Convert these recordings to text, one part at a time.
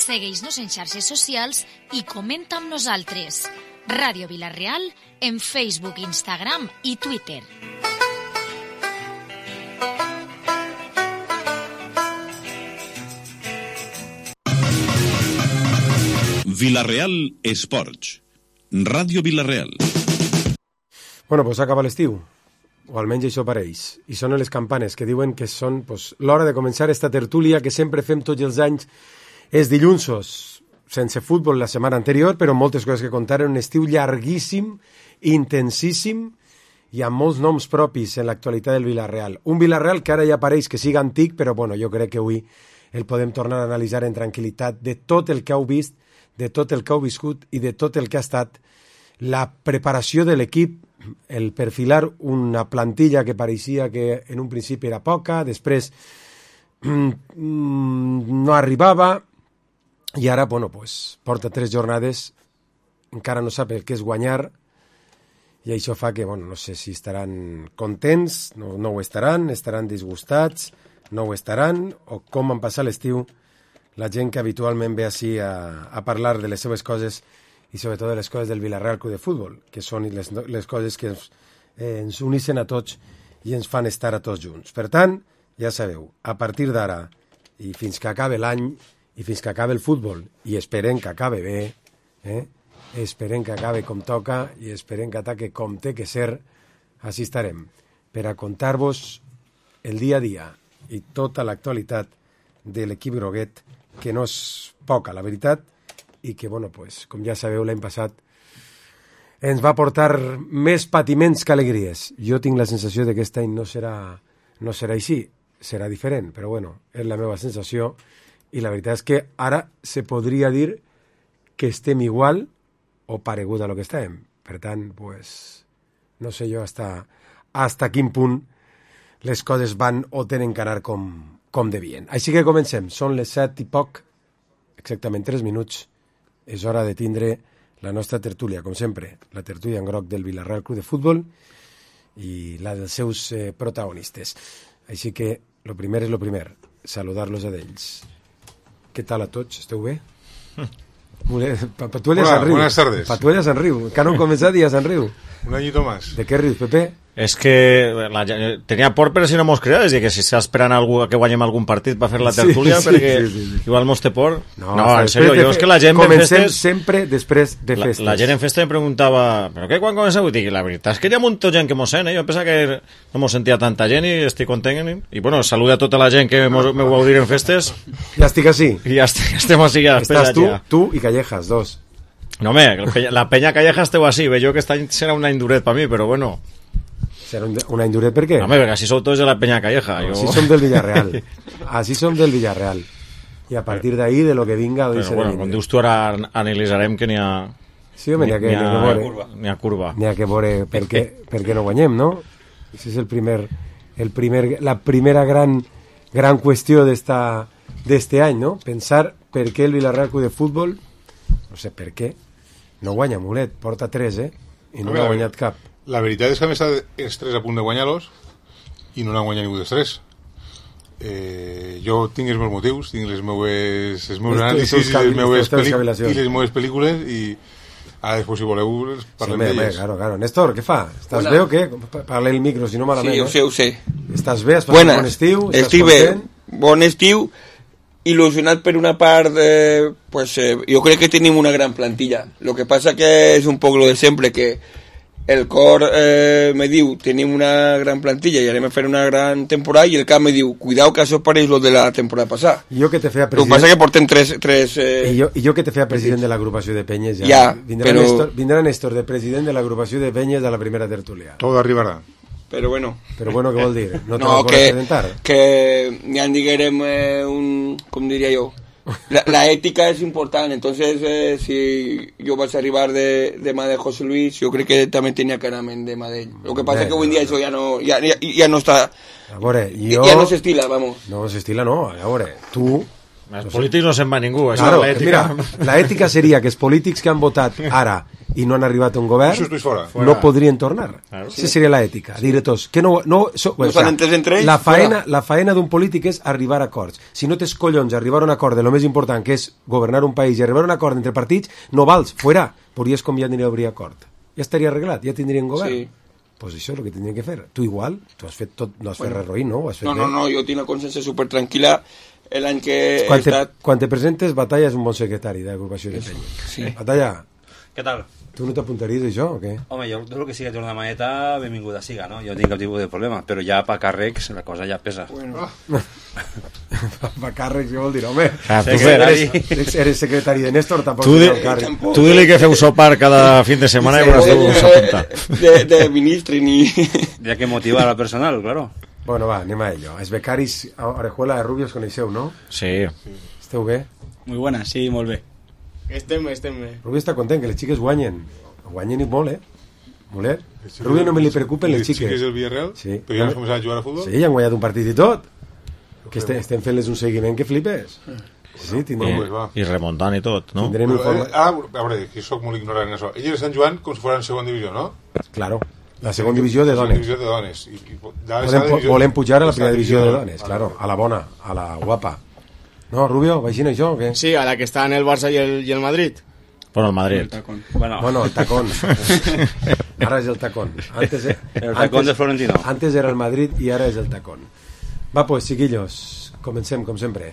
Segueix-nos en xarxes socials i comenta amb nosaltres. Ràdio Vila-real en Facebook, Instagram i Twitter. Vila-real Esports. Ràdio Vila-real. Bueno, pues acaba l'estiu, o almenys això pareix, i sonen les campanes que diuen que són l'hora de començar esta tertúlia que sempre fem tots els anys els dilluns, sense futbol la setmana anterior, però moltes coses que contar, en un estiu llarguíssim, intensíssim, i amb molts noms propis en l'actualitat del Vila-real. Un Vila-real que ara ja pareix que siga antic, però bueno, jo crec que avui el podem tornar a analitzar en tranquil·litat de tot el que heu vist, de tot el que heu viscut i de tot el que ha estat la preparació de l'equip, el perfilar una plantilla que pareixia que en un principi era poca, després no arribava, i ara, bueno, pues, porta 3 jornades, encara no sap el que és guanyar, i això fa que, bueno, no sé si estaran contents, no ho estaran disgustats, no ho estaran, o com han passat l'estiu la gent que habitualment ve així a parlar de les seves coses i sobretot de les coses del Vila-real Club de Futbol, que són les coses que ens uneixen a tots i ens fan estar a tots junts. Per tant, ja sabeu, a partir d'ara i fins que acabe l'any i fins que acabe el futbol, i esperem que acabe bé, esperem que acabe com toca i esperem que ataque com té que ser, així estarem, per a contar-vos el dia a dia i tota l'actualitat de l'equip groguet, que no és poca, la veritat, i que, bueno, pues, com ja sabeu, l'any passat ens va portar més patiments que alegries. Jo tinc la sensació de que aquest any no serà així, serà diferent, però bueno, és la meva sensació, i la veritat és que ara se podria dir que estem igual o paregut a lo que estàvem. Per tant, pues, no sé jo hasta quin punt les coses van o tenen que anar com devien. Així que comencem. Són les 7 i poc, exactament 3 minuts. És hora de tindre la nostra tertúlia, com sempre, la tertúlia en groc del Vila-real Club de Futbol i la dels seus protagonistes. Així que, lo primer és lo primer, saludar-los a d'ells. Què tal a tots? Esteu bé? Patuella San Riu. Buenas tardes. Patuella San Riu. Que no han començat i ja San Riu. Un añito más. De què rius, Pepe? És que tenia por, però si no mos creia, és dir, que si està esperant a que guanyem algun partit per fer la tertúlia, perquè igual mos té por. No, en sèrio, jo és que la gent comencem festes, sempre després de festes. La gent en festa em preguntava, però què, quan comenceu? I la veritat és que hi ha molta gent que mos sent, jo pensava que no mos sentia tanta gent i estic content. I bueno, saluda a tota la gent que me vau dir en festes. Ja estic així. I ja estem així. Estàs tu i Callejas, dos. No, home, la penya Callejas esteu així, jo que aquest any serà un any duret per mi, però bueno. Serà un any duret, per què? No, home, perquè així sou tots de la penya Calleja. Així som del Villarreal. Així som del Villarreal. I a partir d'ahí, de lo que vinga... Però bueno, com dius tu, ara analitzarem que n'hi ha... Sí, home, n'hi ha curva. N'hi ha que veure per què no guanyem, no? Això és la primera gran qüestió d'este any, no? Pensar per què el Vila-real Club de Futbol, no sé per què, no guanya Mulet, porta 3, i no n'ha guanyat cap. La veritat és que a més els 3 a punt de guanyar-los i no n'han guanyat ningú dels 3. Jo tinc els meus motius, tinc els meus anàlisis i les meves pel·lícules, i ara després, si voleu, parlem d'elles. Claro. Néstor, què fa? Estàs bé o què? Parla el micro, si no malament. Sí, ho sé. Estàs bé? Has passat un bon estiu? Estic bé, bon estiu, il·lusionat per una part, jo crec que tenim una gran plantilla. Lo que passa que és un poc lo de sempre, que el cor me diu tenim una gran plantilla i anem a fer una gran temporada, i el cap me diu cuidao que això pareix lo de la temporada passada. Jo que te feia president... El que passa que portem tres I jo que te feia president de l'agrupació de penyes ja vindrà Néstor de president de l'agrupació de penyes a la primera tertúlia. Todo arribarà. Però bueno, què vol dir? No te lo puedo presentar. Que ja diguem com diria jo, la ética es importante. Entonces si yo vas a arribar de mà de José Luis, yo creo que también tenía que anar de mà d'ell. Lo que pasa es que hoy en día eso ya no está, a veure, ja no s'estila, vamos. No s'estila, no, a veure, tu Els polítics no se'n va ningú, això claro, és l'ètica. Mira, la ètica seria que els polítics que han votat ara i no han arribat a un govern no podrien tornar. Claro. Sí. Seria l'ètica. Dir tots que no s'han entès entre ells. La faena d'un polític és arribar a acords. Si no tens collons arribar a un acord de lo més important, que és governar un país i arribar a un acord entre partits, no vals, fuera. Podries conviar a obrir acord. Ja estaria arreglat, ja tindrien govern. Sí. Pues això és el que tindrien que fer. Tu igual, tu has fet tot, no has fet res roïn, no? No, jo tinc una consciència super tranquil·la. L'any que quan te presentes, Batalla és un bon secretari d'agrupació de penya. Sí. Batalla, què tal? Tu no t'apuntaries a això o què? Home, jo el que sigui tornar de maneta, benvinguda siga, no? Jo no tinc cap tipus de problema, però ja per càrrecs la cosa ja pesa. Bueno. Per càrrecs, què vol dir, home? Eres secretari de Néstor, tampoc és un càrrec. Tu dili que feu sopar cada fin de setmana i veuràs tu s'apunta. De ministre ni... Ja que motivar al personal, claro. Bueno, va, anem a ello. Els becaris a Orejuela de Rubio els coneixeu, no? Sí. Esteu bé? Muy buena, sí, molt bé. Estem bé. Rubio està content que les xiques guanyen. Guanyen i molt, Molt, Rubio no me li preocupen les xiques. Les xiques del Villarreal? Sí. Però ja han començat a jugar a futbol? Sí, ja han guanyat un partit i tot. Que estem fent-les un seguiment que flipes. Sí, tindrem... I remuntant i tot, no? A veure, que soc molt ignorant en això. Elles estan jugant com si fossin segona divisió, no? Claro. La segona divisió de dones. Volem pujar a la primera divisió de dones, claro, a la bona, a la guapa. No, Rubio, vagina això o què? Sí, a la que està en el Barça i el Madrid. Bueno, el Madrid. Bueno, el tacón. Ara és el tacón. El tacón de Florentino. Antes era el Madrid i ara és el tacón. Va, pues, chiquillos, comencem, com sempre.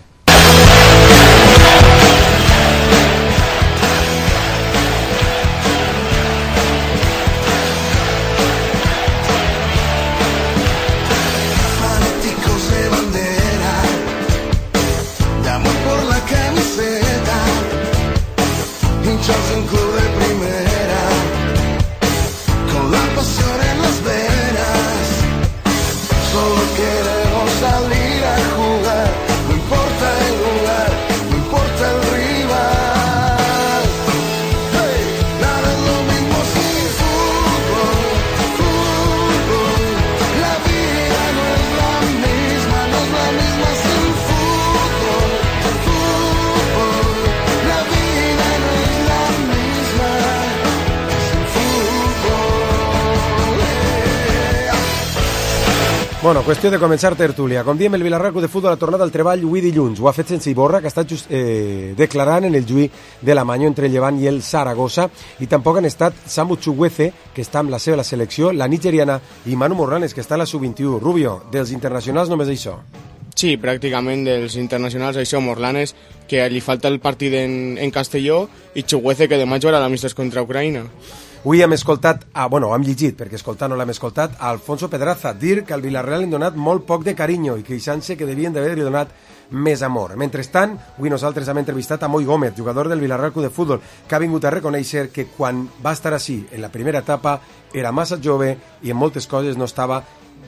Un club de primera, con la pasión en las venas, solo queremos salir a jugar, no importa el lugar, no importa el rival. Hey, nada es lo mismo sin fútbol, la vida no es la misma sin fútbol, la vida no es la misma sin fútbol. Bueno, qüestió de començar tertúlia. Com diem, el Villarreal Club de Futbol ha tornat al treball avui dilluns. Ho ha fet sense Iborra, que ha estat declarant en el juí de la Manyo entre el Llevant i el Saragossa, i tampoc han estat Samu Chukwueze, que està amb la seva selecció, la nigeriana, i Manu Morlanes, que està a la sub-21. Rubio, dels internacionals només això. Sí, pràcticament dels internacionals això, Morlanes, que li falta el partit en Castelló, i Chukwueze, que demà jugarà l'amistós contra Ucraïna. Avui hem escoltat, hem llegit, perquè escoltar no l'hem escoltat, a Alfonso Pedraza dir que al Villarreal li han donat molt poc de carinyo i queixant-se que devien d'haver-li donat més amor. Mentrestant, avui nosaltres hem entrevistat a Moi Gómez, jugador del Villarreal Club de Futbol, que ha vingut a reconèixer que quan va estar així en la primera etapa era massa jove i en moltes coses no estava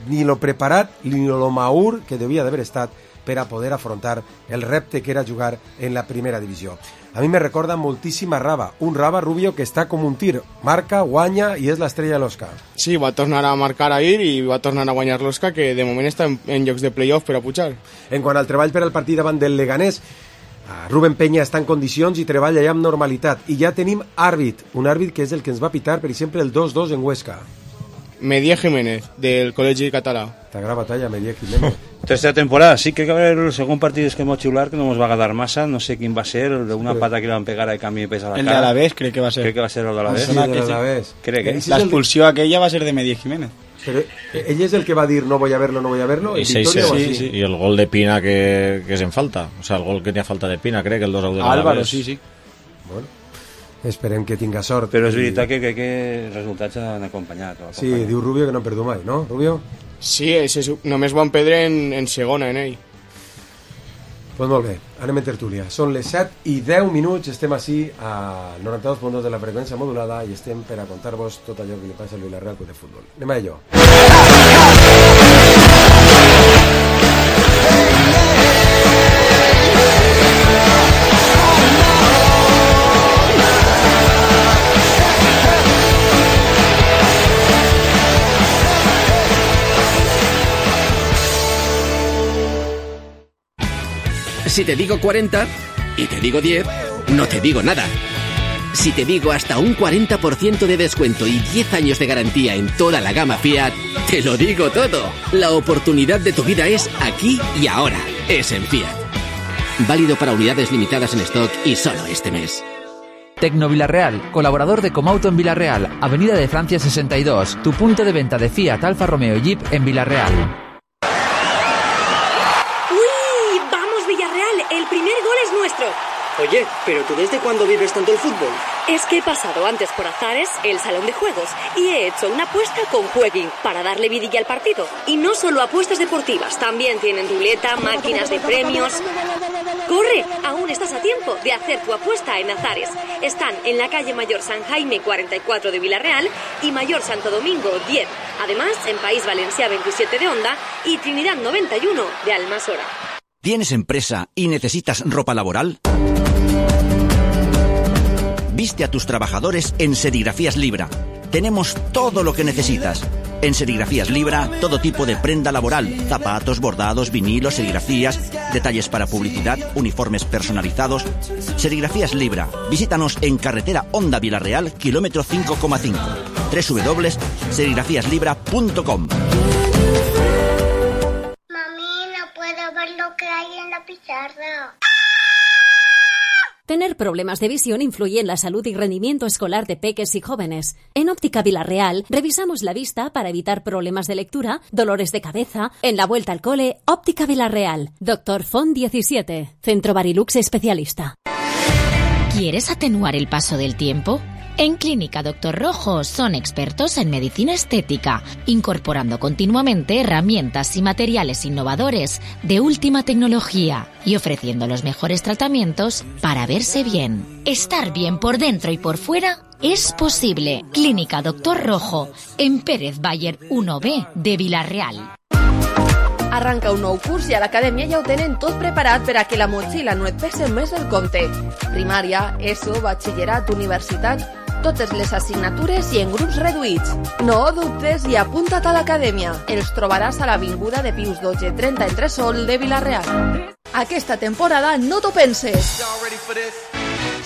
ni lo preparat ni lo maur que devia d'haver estat per a poder afrontar el repte que era jugar en la primera divisió. A mi me recorda moltíssim a Raba, un Raba Rubio que està com un tir, marca, guanya i és l'estrella de l'Osca. Sí, va tornar a marcar ahir i va tornar a guanyar l'Osca, que de moment està en llocs de play-off per a pujar. En quant al treball per al partit davant del Leganés, Rubén Peña està en condicions i treballa ja amb normalitat. I ja tenim àrbit, un àrbit que és el que ens va pitar, per exemple, el 2-2 en Huesca. Medier Jiménez, del Col·legi Català. T'agrada batalla, Medier Jiménez. Tercera temporada, sí, creo que va a haber el segundo partido que hemos chular, que no nos va a ganar masa, no sé quién va a ser, el de una pata que le van a pegar al cambio de peso a la cara. El de Alavés, crec que va a ser. Crec que va a ser el de Alavés. Sí, el de Alavés. La expulsió aquella va a ser de Medier Jiménez. Pero ell és el que va dir no voy a verlo, y sí. Y el gol de Pina que es en falta, o sea, el gol que tenía falta de Pina, crec que el 2-1 de Álvaro, sí. Bueno, esperem que tinga sort. Però és veritat que els resultats han acompanyat. Sí, diu Rubio que no perdu mai, no, Rubio? Sí, només van perdre en segona, en ell. Pues molt bé, anem en tertúlia. Són les 7:10, estem així a 92.2 de la freqüència modulada i estem per a contar-vos tot allò que li passa al Villarreal Club de Futbol. Anem a ello. Si te digo 40 y te digo 10, no te digo nada. Si te digo hasta un 40% de descuento y 10 años de garantía en toda la gama Fiat, te lo digo todo. La oportunidad de tu vida es aquí y ahora. Es en Fiat. Válido para unidades limitadas en stock y solo este mes. Tecno Villarreal, colaborador de Comauto en Villarreal, Avenida de Francia 62, tu punto de venta de Fiat, Alfa Romeo y Jeep en Villarreal. ¡Uy! ¡Vamos, Villarreal! El primer gol es nuestro. Oye, ¿pero tú desde cuándo vives tanto el fútbol? Es que he pasado antes por Azares, el salón de juegos, y he hecho una apuesta con Jueguin para darle vidilla al partido. Y no solo apuestas deportivas, también tienen ruleta, máquinas de premios. ¡Corre! Aún estás a tiempo de hacer tu apuesta en Azares. Están en la calle Mayor San Jaime 44 de Villarreal y Mayor Santo Domingo 10. Además, en País Valencià 27 de Onda y Trinidad 91 de Almasora. ¿Tienes empresa y necesitas ropa laboral? Viste a tus trabajadores en Serigrafías Libra. Tenemos todo lo que necesitas. En Serigrafías Libra, todo tipo de prenda laboral, zapatos, bordados, vinilos, serigrafías, detalles para publicidad, uniformes personalizados. Serigrafías Libra. Visítanos en carretera Onda Villarreal, kilómetro 5,5. www.serigrafíaslibra.com. Mami, no puedo ver lo que hay en la pizarra. Tener problemas de visión influye en la salud y rendimiento escolar de peques y jóvenes. En Óptica Villarreal revisamos la vista para evitar problemas de lectura, dolores de cabeza. En la vuelta al cole, Óptica Villarreal. Dr. Font 17, Centro Barilux especialista. ¿Quieres atenuar el paso del tiempo? En Clínica Dr. Rojo son expertos en medicina estética, incorporando continuamente herramientas y materiales innovadores de última tecnología y ofreciendo los mejores tratamientos para verse bien. Estar bien por dentro y por fuera es posible. Clínica Dr. Rojo, en Pérez Bayer 1B de Villarreal. Arranca un nou curs i a l'acadèmia ja ho tenen tot preparat per a que la motxilla no et pese més del compte. Primària, ESO, batxillerat, universitat, totes les assignatures i en grups reduïts. No dubtes i apunta't a l'acadèmia. Els trobaràs a l'Avinguda de Pius XII 30 entre Sol de Villarreal. Aquesta temporada no t'ho penses.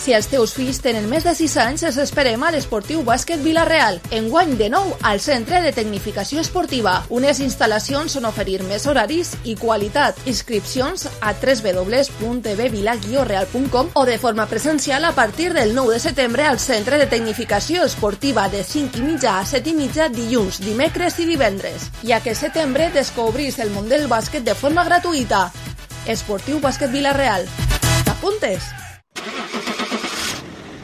Si els teus fills tenen més de 6 anys, els esperem a l'Esportiu Bàsquet Villarreal. Enguany de nou al Centre de Tecnificació Esportiva. Unes instal·lacions on oferir més horaris i qualitat. Inscripcions a www.bvila-real.com o de forma presencial a partir del 9 de setembre al Centre de Tecnificació Esportiva de 5:30 a 7:30 dilluns, dimecres i divendres. I aquest setembre descobrís el món del bàsquet de forma gratuïta. Esportiu Bàsquet Villarreal. ¿T'apuntes?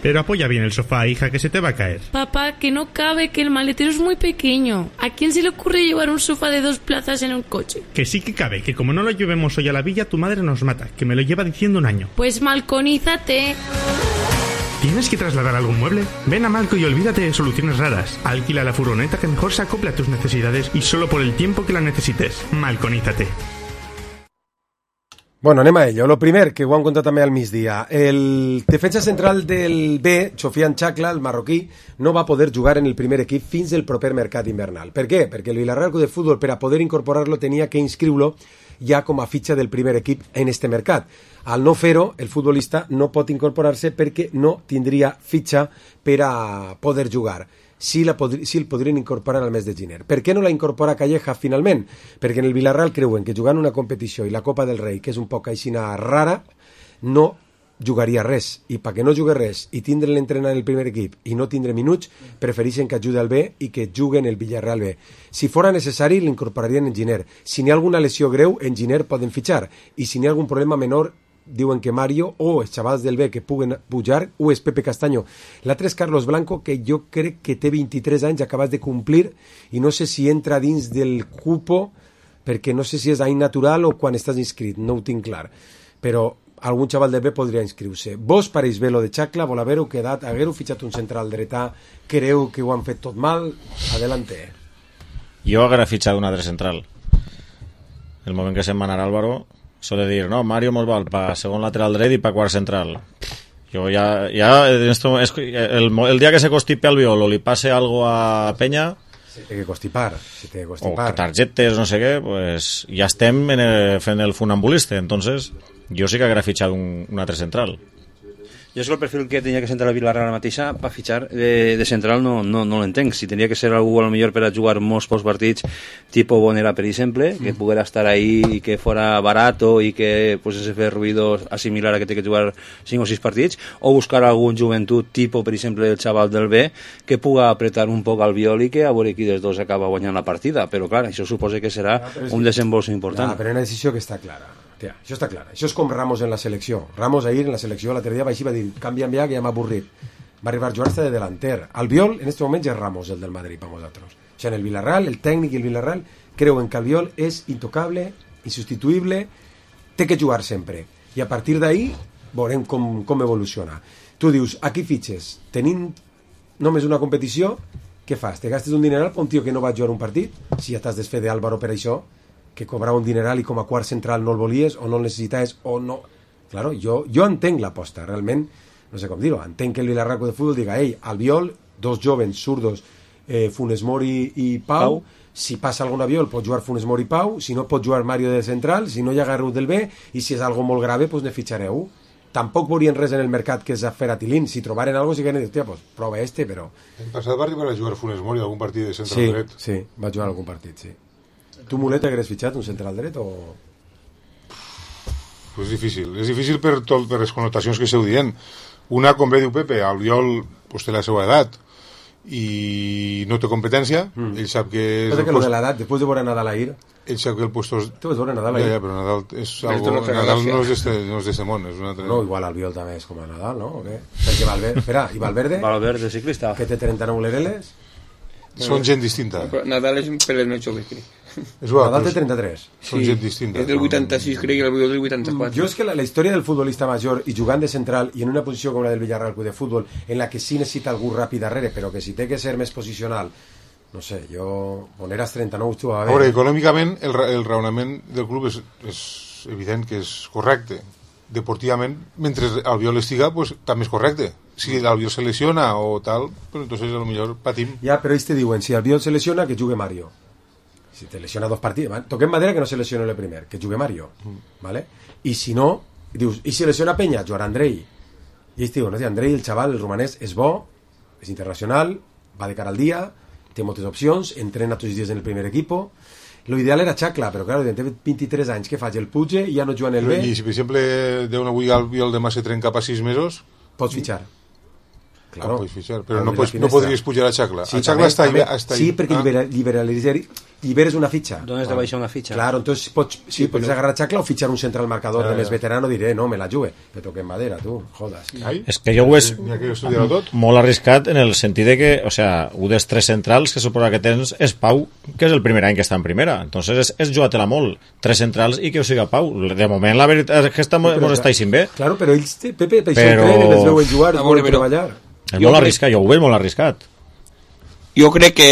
Pero apoya bien el sofá, hija, que se te va a caer. Papá, que no cabe, que el maletero es muy pequeño. ¿A quién se le ocurre llevar un sofá de 2 plazas en un coche? Que sí que cabe, que como no lo llevemos hoy a la villa, tu madre nos mata, que me lo lleva diciendo un año. Pues malconízate. ¿Tienes que trasladar algún mueble? Ven a Malco y olvídate de soluciones raras. Alquila la furgoneta que mejor se acople a tus necesidades y solo por el tiempo que la necesites. Malconízate. Bueno, anem a ello. Lo primer, que ho han contat també al migdia. El defensa central del B, Sofian Chacla, el marroquí, no va poder jugar en el primer equip fins el proper mercat invernal. Per què? Perquè el Villarreal Club de Futbol, per a poder incorporar-lo, tenia que inscriure-lo ja com a fitxa del primer equip en este mercat. Al no fer-ho, el futbolista no pot incorporar-se perquè no tindria fitxa per a poder jugar. Si el podrien incorporar al mes de gener. Per què no la incorpora Calleja finalment? Perquè en el Villarreal creuen que jugant una competició i la Copa del Rei, que és un poc aixina rara, no jugaria res. I perquè no jugui res i tindre l'entrenar en el primer equip i no tindre minuts, prefereixen que ajude al B i que juguen el Villarreal B. Si fora necessari, l'incorporarien en gener. Si n'hi ha alguna lesió greu, en gener poden fitxar. I si n'hi ha algun problema menor, diuen que Mario o els xavals del B que puguen pujar o és Pepe Castaño. L'altre és Carlos Blanco, que jo crec que té 23 anys, acabas de complir, i no sé si entra dins del cupo, perquè no sé si és any natural o quan estàs inscrit, no ho tinc clar. Però algun xaval del B podria inscriure-se. Vos pareix bé lo de Chacla, vol haver-ho quedat, haguer-ho fitxat un central dretà, creu que ho han fet tot mal, adelante. Jo haguera fitxat un altre central. El moment que se'n va anar Álvaro suele dir, no, Mario mos val pa segon lateral dret i pa quart central. Jo ja el día que se constipe al Violo li passe algo a Peña, té que constipar. O targetes, no sé què, pues ja estem fent el funambulista. Entonces, jo sí que haguera fitxat un altre central. Jo és que el perfil que tenia que centrar la Villarreal mateixa per fitxar de central no l'entenc. Si tenia que ser algú a lo millor per a jugar molts partits tipo Bonera, per exemple, que poguera estar ahí i que fora barato i que pues, ese fer ruido assimilar a que té que jugar 5 o 6 partits, o buscar algun joventut tipo, per exemple, el xaval del B, que puga apretar un poc al viol i que a veure qui dels dos acaba guanyant la partida. Però clar, això suposa que serà un desembolso important. Però una decisió que està clara. Tia, això està clar. Això és com Ramos en la selecció. Ramos ahir en la selecció l'altre dia va així, va dir, canvia'm ja, que ja m'ha avorrit. Va arribar a jugar-se de delanter. Albiol, en aquest moment, ja és Ramos, el del Madrid, per nosaltres. O sigui, en el Villarreal, el tècnic i el Villarreal creuen que Albiol és intocable, insubstituïble, té que jugar sempre. I a partir d'ahí veurem com evoluciona. Tu dius, aquí fitxes, tenint només una competició, què fas? Te gastes un dineral per un tio que no va jugar un partit? Si ja t'has desfet d'Álvaro per això, que cobrava un dineral i com a quart central no el volies o no el necessitaves o no... Claro, jo entenc l'aposta, realment, no sé com dir-ho, entenc que el Villarreal de Futbol diga, ei, Albiol, dos jovens zurdos, Funes Mori i Pau, si passa algun avió pot jugar Funes Mori i Pau, si no pot jugar Mario de central, si no hi ha Garrut del B, i si és algo molt grave, doncs ne fitxareu. Tampoc veurien res en el mercat que és a fer a Tilín, si trobaren algo, si que dir, pues, prova però... En passat va arribar a jugar Funes Mori algun partit de central dret? Sí, va jugar algun partit, sí. Tu, Mulet, hagués fitxat un central dret o...? Pues és difícil per les connotacions que esteu dient. Una, com bé diu Pepe, Albiol pues, té la seva edat i no té competència, ell sap que... Passa que lo de l'edat, després de veure Nadal ahir... Ell sap que el puesto... Tu vas veure Nadal ahir? Ja, però Nadal és algo... Nadal no és d'este món, és una altra... No, igual Albiol també és com a Nadal, no? O què? Perquè Valverde... Espera, i Valverde? Valverde, ciclista. Que té 39 lereles? Són gent distinta. Nadal és un pel més jove, crec. Nadal té 33. Són gent distinta. És del 86, crec, i el Albiol del 84. Jo és que la història del futbolista major i jugant de central i en una posició com la del Villarreal de futbol, en la que sí necessita algú ràpid darrere, però que si té que ser més posicional, no sé, jo... Boneras 39 tu va bé. Veure, econòmicament el raonament del club és evident que és correcte. Deportivament, mentre Albiol estiga, pues, també és correcte. Si Albiol se lesiona o tal, pues entonces a lo millor patim. Ja, però ells te diuen, si Albiol se lesiona, que jugue Mario. Si te lesiona 2 partits, toquem madera que no se lesiona el primer, que jugue Mario, ¿vale? I si no, dius, i si lesiona Peña, jugarà Andrei. I ells diuen, no, Andrei, el xaval, el romanès, és bo, és internacional, va de cara al dia, té moltes opcions, entrena tots els dies en el primer equipo. Lo ideal era Chacla, però clar, té 23 anys, què faig? El puge i ja no juga en el B. I si, per exemple, d'un avui Albiol demà se trenca cap a 6 mesos... Pots fitxar. Claro. Pots fitxar, però no podries pujar a Chacla. Sí, a Chacla està ahí. Sí, perquè liberes una fitxa. Dones de baixa una fitxa. Claro, entonces pots agarrar a Chacla o fitxar un central marcador de més veterano, diré, no, me la jugue. Me toque en madera, tu, jodas. És que jo ho és molt arriscat en el sentit de que, o sea, un dels 3 centrals que suposa que tens és Pau, que és el primer any que està en primera. Entonces és jugar-te-la molt. 3 centrals i que ho siga Pau. De moment, la veritat és que mos estáis bé. Claro, però ells, Pepe, per això entrenen, els veuen jugar, els veuen treballar. És molt arriscat, jo ho veig molt arriscat. Jo crec que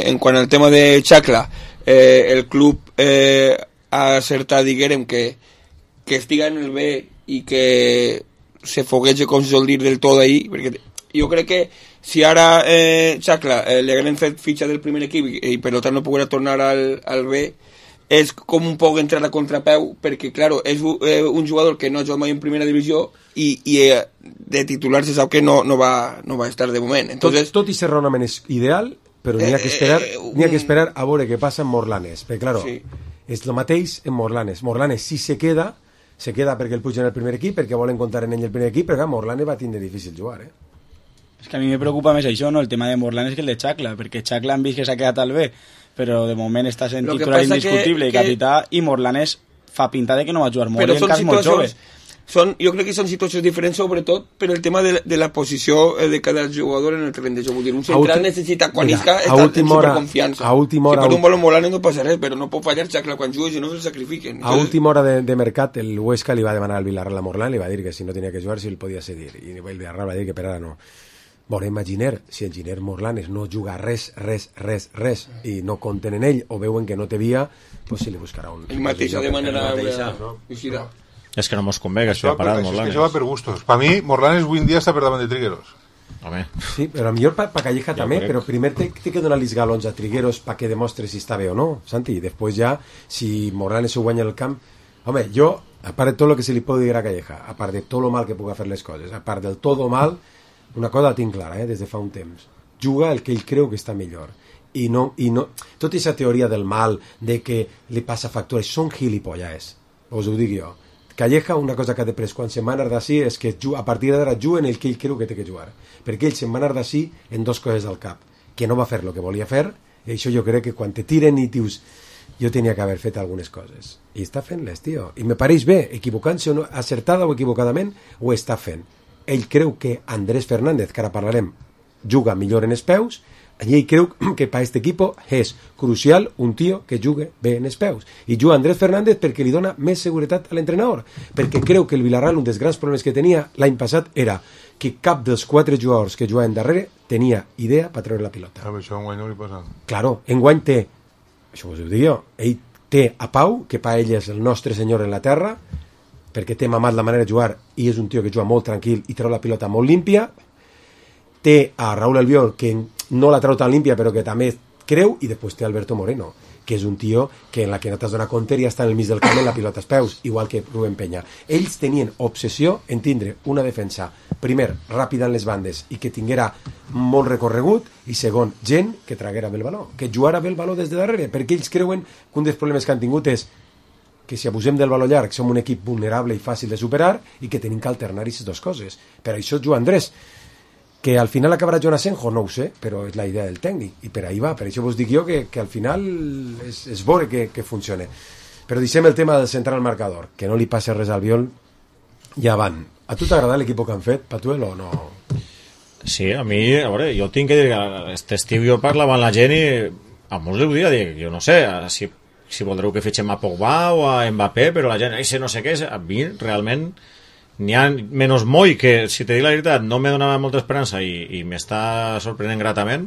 en quant al tema de Chacla, el club ha acertat, diguem, que estiga en el B i que se foguege, com se sol dir, del tot ahí, perquè jo crec que si ara Chacla li hagueren fet fitxa del primer equip i per tant no poguera tornar al B, és com un poc entrar a contrapeu, perquè, claro, és un jugador que no ha jugat mai en primera divisió i de titular se sap que no va estar de moment. Entonces, tot i ser raonament és ideal, però n'hi ha que esperar a veure què passa en Morlanes, perquè, claro, és el mateix en Morlanes. Morlanes, si se queda perquè el pugen el primer equip, perquè volen comptar en ell el primer equip, perquè Morlanes va tindre difícil jugar, És que a mi me preocupa més això, no? El tema de Morlanes que el de Chacla, perquè Chacla han vist que s'ha quedat al B, però de moment està sent titular indiscutible i capità, i Morlanes fa pinta de que no va jugar molt, i encara molt jove. Jo crec que són situacions diferents, sobretot per el tema de la posició de cada jugador en el terreny de joc. Vull dir, un central necessita, quan isca, estar en superconfiança. Si per un balón Morlanes no passa res, però no pot fallar Chacla quan juga, si no se'l sacrifiquen. A última hora de mercat, el Huesca li va demanar al Villarreal a Morlan, li va dir que si no tenia que jugar, si el podia cedir, i el Villarreal va dir que per ara no. Veurem a Giner, si el Giner Morlanes no juga res, i no compten en ell, o veuen que no té via, pues si li buscarà un... El mateix de manera... És que no mos convé que això ha parat Morlanes. És que això va per gustos. Per mi, Morlanes avui en dia està per davant de Trigueros. Home. Sí, però millor pa Calleja també, però primer té que donar els galons a Trigueros perquè demostre si està bé o no, Santi, i després ja, si Morlanes ho guanya el camp... Home, jo, a part de tot el que se li pot dir a Calleja, a part de tot lo mal que puga fer les coses, a part del tot mal, una cosa la tinc clara, des de fa un temps. Juga el que ell creu que està millor. I no tota aquesta teoria del mal, de que li passa factura, són gilipollas, us ho dic jo. Calleja, una cosa que ha després quan se'n va anar d'ací és que a partir d'ara juga en el que ell creu que té que jugar, perquè ell se'n va anar d'ací en dos coses del cap, que no va fer el que volia fer, i això jo crec que quan te tiren i dius jo tenia que haver fet algunes coses, i està fent-les, tio, i me pareix bé, equivocant-se o no, acertada o equivocadament, ho està fent. Ell creu que Andrés Fernández, que ara parlarem, juga millor en els peus, i ell creu que per aquest equip és crucial un tio que jugui bé en els peus, i juga Andrés Fernández perquè li dona més seguretat a l'entrenador, perquè creu que el Villarreal un dels grans problemes que tenia l'any passat era que cap dels 4 jugadors que jugaven darrere tenia idea per treure la pilota. Això enguany no li passa. Claro, enguany té, això us ho dic jo, ell té a Pau, que per ell és el nostre senyor en la terra, perquè té mamat la manera de jugar i és un tio que juga molt tranquil i treu la pilota molt límpia. Té a Raúl Albiol, que no la treu tan límpia però que també creu, i després té Alberto Moreno, que és un tio que en la que no t'has donat compte ja està en el mig del camp en la pilota als peus, igual que Rubén Peña. Ells tenien obsessió en tindre una defensa, primer, ràpida en les bandes i que tinguera molt recorregut, i segon, gent que traguera bé el baló, que jugara bé el baló des de darrere, perquè ells creuen que un dels problemes que han tingut és que si abusem del baló llarg som un equip vulnerable i fàcil de superar i que tenim que alternar aquestes dues coses. Per això juga Andrés, que al final acabarà Joan Asenjo, no ho sé, però és la idea del tècnic, i per ahí va, per això vos dic jo que al final és veure que funcione. Però deixem el tema del central marcador, que no li passa res al Albiol, ja van. A tu t'agrada l'equip que han fet, Patuel, o no? Sí, a mi, a veure, jo tinc que dir que aquest estiu jo parlava amb la gent i a molts li ho dia, dic, jo no sé, si voldreu que fitxem a Pogba o a Mbappé, però la gent, no sé què, a mi realment n'hi ha menys Moi, que si te dic la veritat no me donava molta esperança i m'està sorprenent gratament.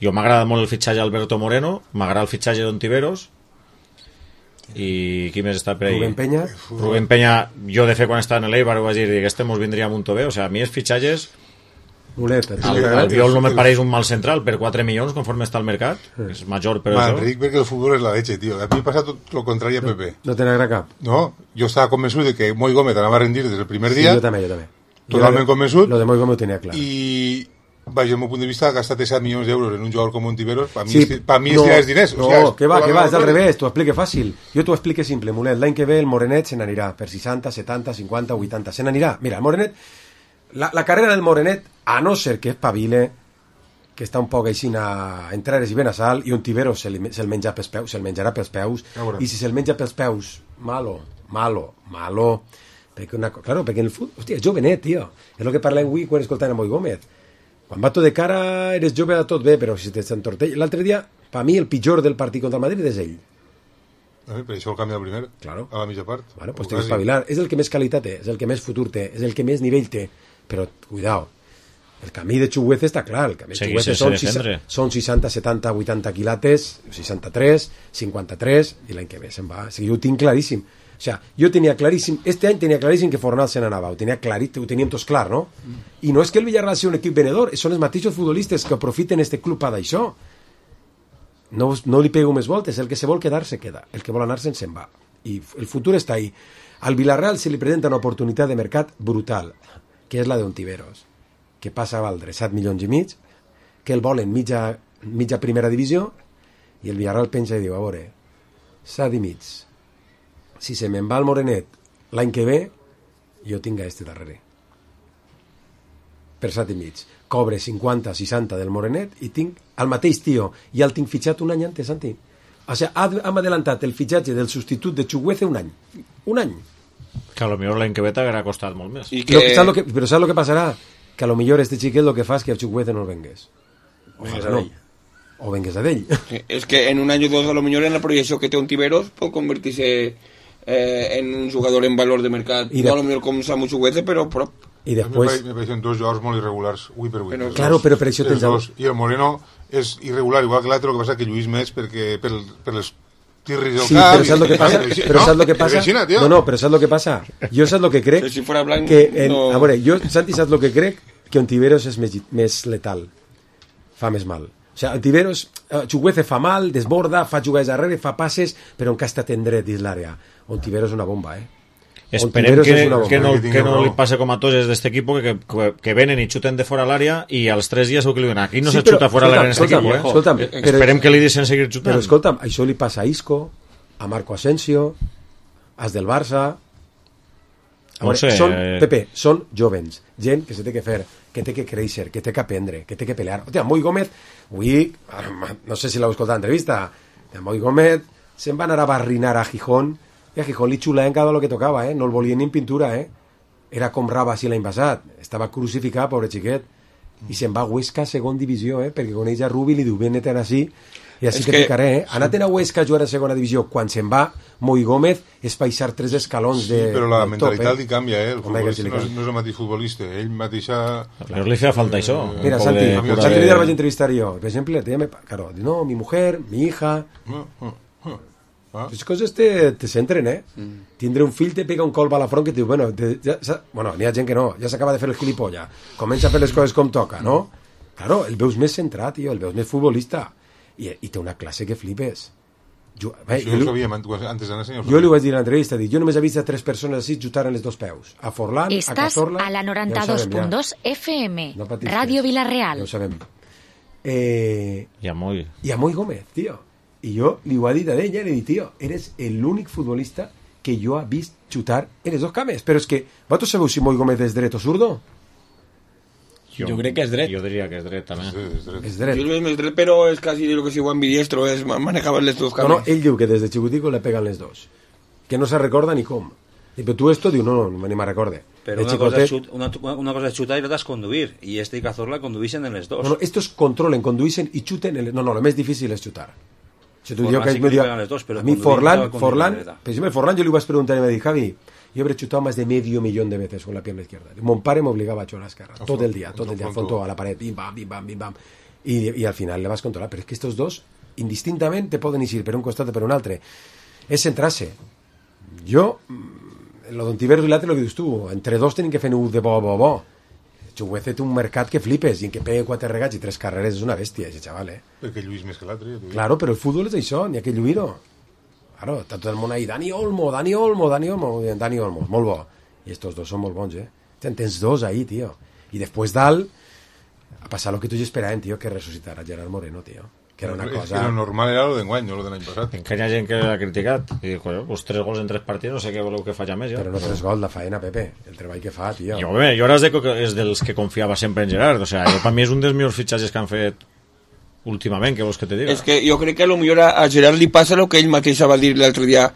Jo m'agrada molt el fitxatge d'Alberto Moreno, m'agrada el fitxatge d'Ontiveros, i qui més està per ahí? Rubén Peña, jo de fet quan estava en l'Eibar ho vaig dir que este mos vindria molt bé, o sigui, a mi els fitxatges el Viol no me pareix un mal central per 4 milions conforme està al mercat, és major però això. Enric, perquè el futbol és la leche, tio. A mi m'ha passat tot lo contrari a Pepe. No te n'agrada cap? No, jo estava convençut de que Moi Gómez anava a rendir des del primer dia. Sí, jo també. Totalment convençut. Lo de Moi Gómez ho tenia clar. I vaja, el meu punt de vista, ha gastat 7 milions d'euros en un jugador com Ontiveros, per mi és tirar els diners. No, que va, és al revés, t'ho explique fàcil. Jo t'ho explique simple, Mulet. L'any que ve el Morenet se n'anirà per 60, 70, 50, 80, se n'anirà. Mira, el Morenet, la carrera del Morenet, a no ser que espavile, que està un poc així a entrares i ben a sal, i Ontiveros se'l menjarà pels peus, i si se'l menja pels peus, malo, perquè perquè en el futbol, hòstia, és jovenet, tio, és el que parlem avui quan escoltant a Moi Gómez, quan va tot de cara eres jove de tot bé, però si t'entortell, l'altre dia, per mi el pitjor del partit contra el Madrid és ell. Per això el canvia el primer, a la mitja part. Bueno, pues té que espavilar, és el que més qualitat té, és el que més futur té, és el que més nivell té, però cuidao, el camí de Chuguece està clar, el camí de Chuguece són 60, 70, 80 quilates, 63, 53, i l'any que ve se'n va. O sigui, jo ho tinc claríssim. O sigui, jo tenia claríssim, este any tenia claríssim que Fornal se n'anava, ho teníem tots clar, no? I no és que el Villarreal sigui un equip venedor, són els mateixos futbolistes que aprofiten este club per d'això. No li pego més voltes, el que se vol quedar se queda, el que vol anar-se'n se'n va. I el futur està ahí. Al Villarreal se li presenta una oportunitat de mercat brutal, que és la d'Ontiveros, que passa a valdre 7 milions i mig, que el volen mitja primera divisió, i el Villarreal penja i diu, a veure, 7 i mig, si se me'n va el Morenet l'any que ve, jo tinc a este darrere. Per 7 i mig. Cobre 50, 60 del Morenet i tinc el mateix tio, i el tinc fitxat un any antes, Santi. O sigui, hem adelantat el fitxatge del substitut de Chuguece un any. Un any. Que a lo millor l'any que ve t'haguera costat molt més. Però saps el que passarà? Que a lo millor este xiquet el que fa és que el Chuguece no el vengués. O vengués a d'ell. És que en un any o dos a lo millor en la proyecció que té Ontiveros pot convertir-se en un jugador en valor de mercat. No a lo millor com Samu Chuguece, però prop. I després... Me pareixen dos jugadors molt irregulars, avui per avui. Claro, però per això tens... I el Moreno és irregular, igual que l'altre, el que passa que lluís més perquè per les tirris del cap... Però saps el que passa? Però saps el que passa? No, però saps el que passa? Jo saps el que crec... Si fora blanc... A veure, jo, Santi, saps el que crec? que Ontiveros és més letal, fa més mal. O sigui, Ontiveros, Chukwueze fa mal, desborda, fa jugades darrere, fa passes, però en cas està tendret dins l'àrea. Ontiveros és una bomba, Esperem que no li passe com a tots d'aquest equip que venen i xuten de fora l'àrea i als 3 dies ho que li donen. Aquí no se xuta fora l'àrea en aquest equip. Esperem que li deixen seguir xutant. Però escolta'm, això li passa a Isco, a Marco Asensio, als del Barça. Pepe, són jovens, gent que se té que fer, que té que créixer, que té que aprendre, que té que pelear. Hòstia, Moi Gómez, avui, no sé si l'heu escoltat l'entrevista, Moi Gómez se'n va anar a barrinar a Gijón i a Gijón li xulaven cada lo que tocava, no el volien ni en pintura, era com Raba si l'any passat, estava crucificat, pobre xiquet, i se'n va a Huesca segona divisió, perquè coneix a Rubi, li diu, vene-te'n així, i així que picaré, anat a Huesca a jugar a segona divisió, quan se'n va Moi Gómez és baixar 3 escalons de però la mentalitat li canvia, el futbolista no és el mateix futbolista, ell mateixa... Però li feia falta això. Mira, Santi, l'altre dia el vaig entrevistar jo, per exemple, claro, no, mi mujer, mi hija... Les coses te centren, Tindre un fill te pega un colp a la front que et diu, bueno, n'hi ha gent que no, ja s'acaba de fer el gilipolla, comença a fer les coses com toca, no? Claro, el veus més centrat, tio, el veus més futbolista, i té una classe que flipes. Jo li vaig dir a l'entrevista, jo només he vist a 3 persones així xutar en les 2 peus, a Forlán, a Cazorla... Estàs a la 92.2 FM, Ràdio Vilareal. Ja ho sabem. I a Moi Gómez, tio. I jo li ho he dit a ella, li he dit, tio, eres l'únic futbolista que jo he vist xutar en les 2 cames. Però és que, vosaltres sabeu si Moi Gómez és dret o zurdo? Jo crec que és dret. Jo diria que és dret, també. És dret. Jo és dret, però és quasi lo que si ho ambidiestro, és manejar les 2 cames. No, ell diu que des de xicutico le pegan les 2. Que no se recorda ni com. I però tu esto, diu, no, ni me recorde. Però una cosa és xutar i l'altra és conduir. I este i Cazorla conduïxen en les 2. No, estos controlen, conduïxen i xuten en les... No, lo més difícil és xutar. Si tu Forlán que sí que pegan les 2, pero a mí Forlán, per exemple, Forlán yo le iba a preguntar y me dijo, Javi, yo habré chutado más de 500.000 de veces con la pierna izquierda. Mon pare m'obligava a xutar a l'esquerra, tot el dia, fondo a la paret, bim, bam, bim, bam, bim, bam. Y al final le vas a controlar, pero es que estos dos, indistintamente, poden ir per un costat o per un altre. És centrar-se. Jo, lo d'Ontiveros i l'altre, lo que dius tu, entre 2 tenen que fer un de bo. Chukwueze té un mercat que flipes i en què pega 4 regats i 3 carreres és una bèstia, ese xaval, Perquè lluís més que l'altre. Claro, però el futbol és això, n'hi ha que lluir-ho. Claro, està tot el món ahí, Dani Olmo, molt bo. I estos 2 són molt bons, Tens 2 ahí, tio. I després dalt, a passar lo que tu ja esperàvem, tio, que ressuscitar a Gerard Moreno, tio. Que era una cosa... Que lo normal era lo d'enguany, no lo de l'any passat. Encara hi ha gent que l'ha criticat. I dic, pues 3 gols en 3 partits, no sé què voleu que faci més, ja. Però no 3 gols, la faena, Pepe. El treball que fa, tio. Jo ara és dels que confiava sempre en Gerard. O sea, per mi és un dels millors fitxatges que han fet últimament, què vols que te diga? És que jo crec que a lo millor a Gerard li passa el que ell mateix va dir l'altre dia,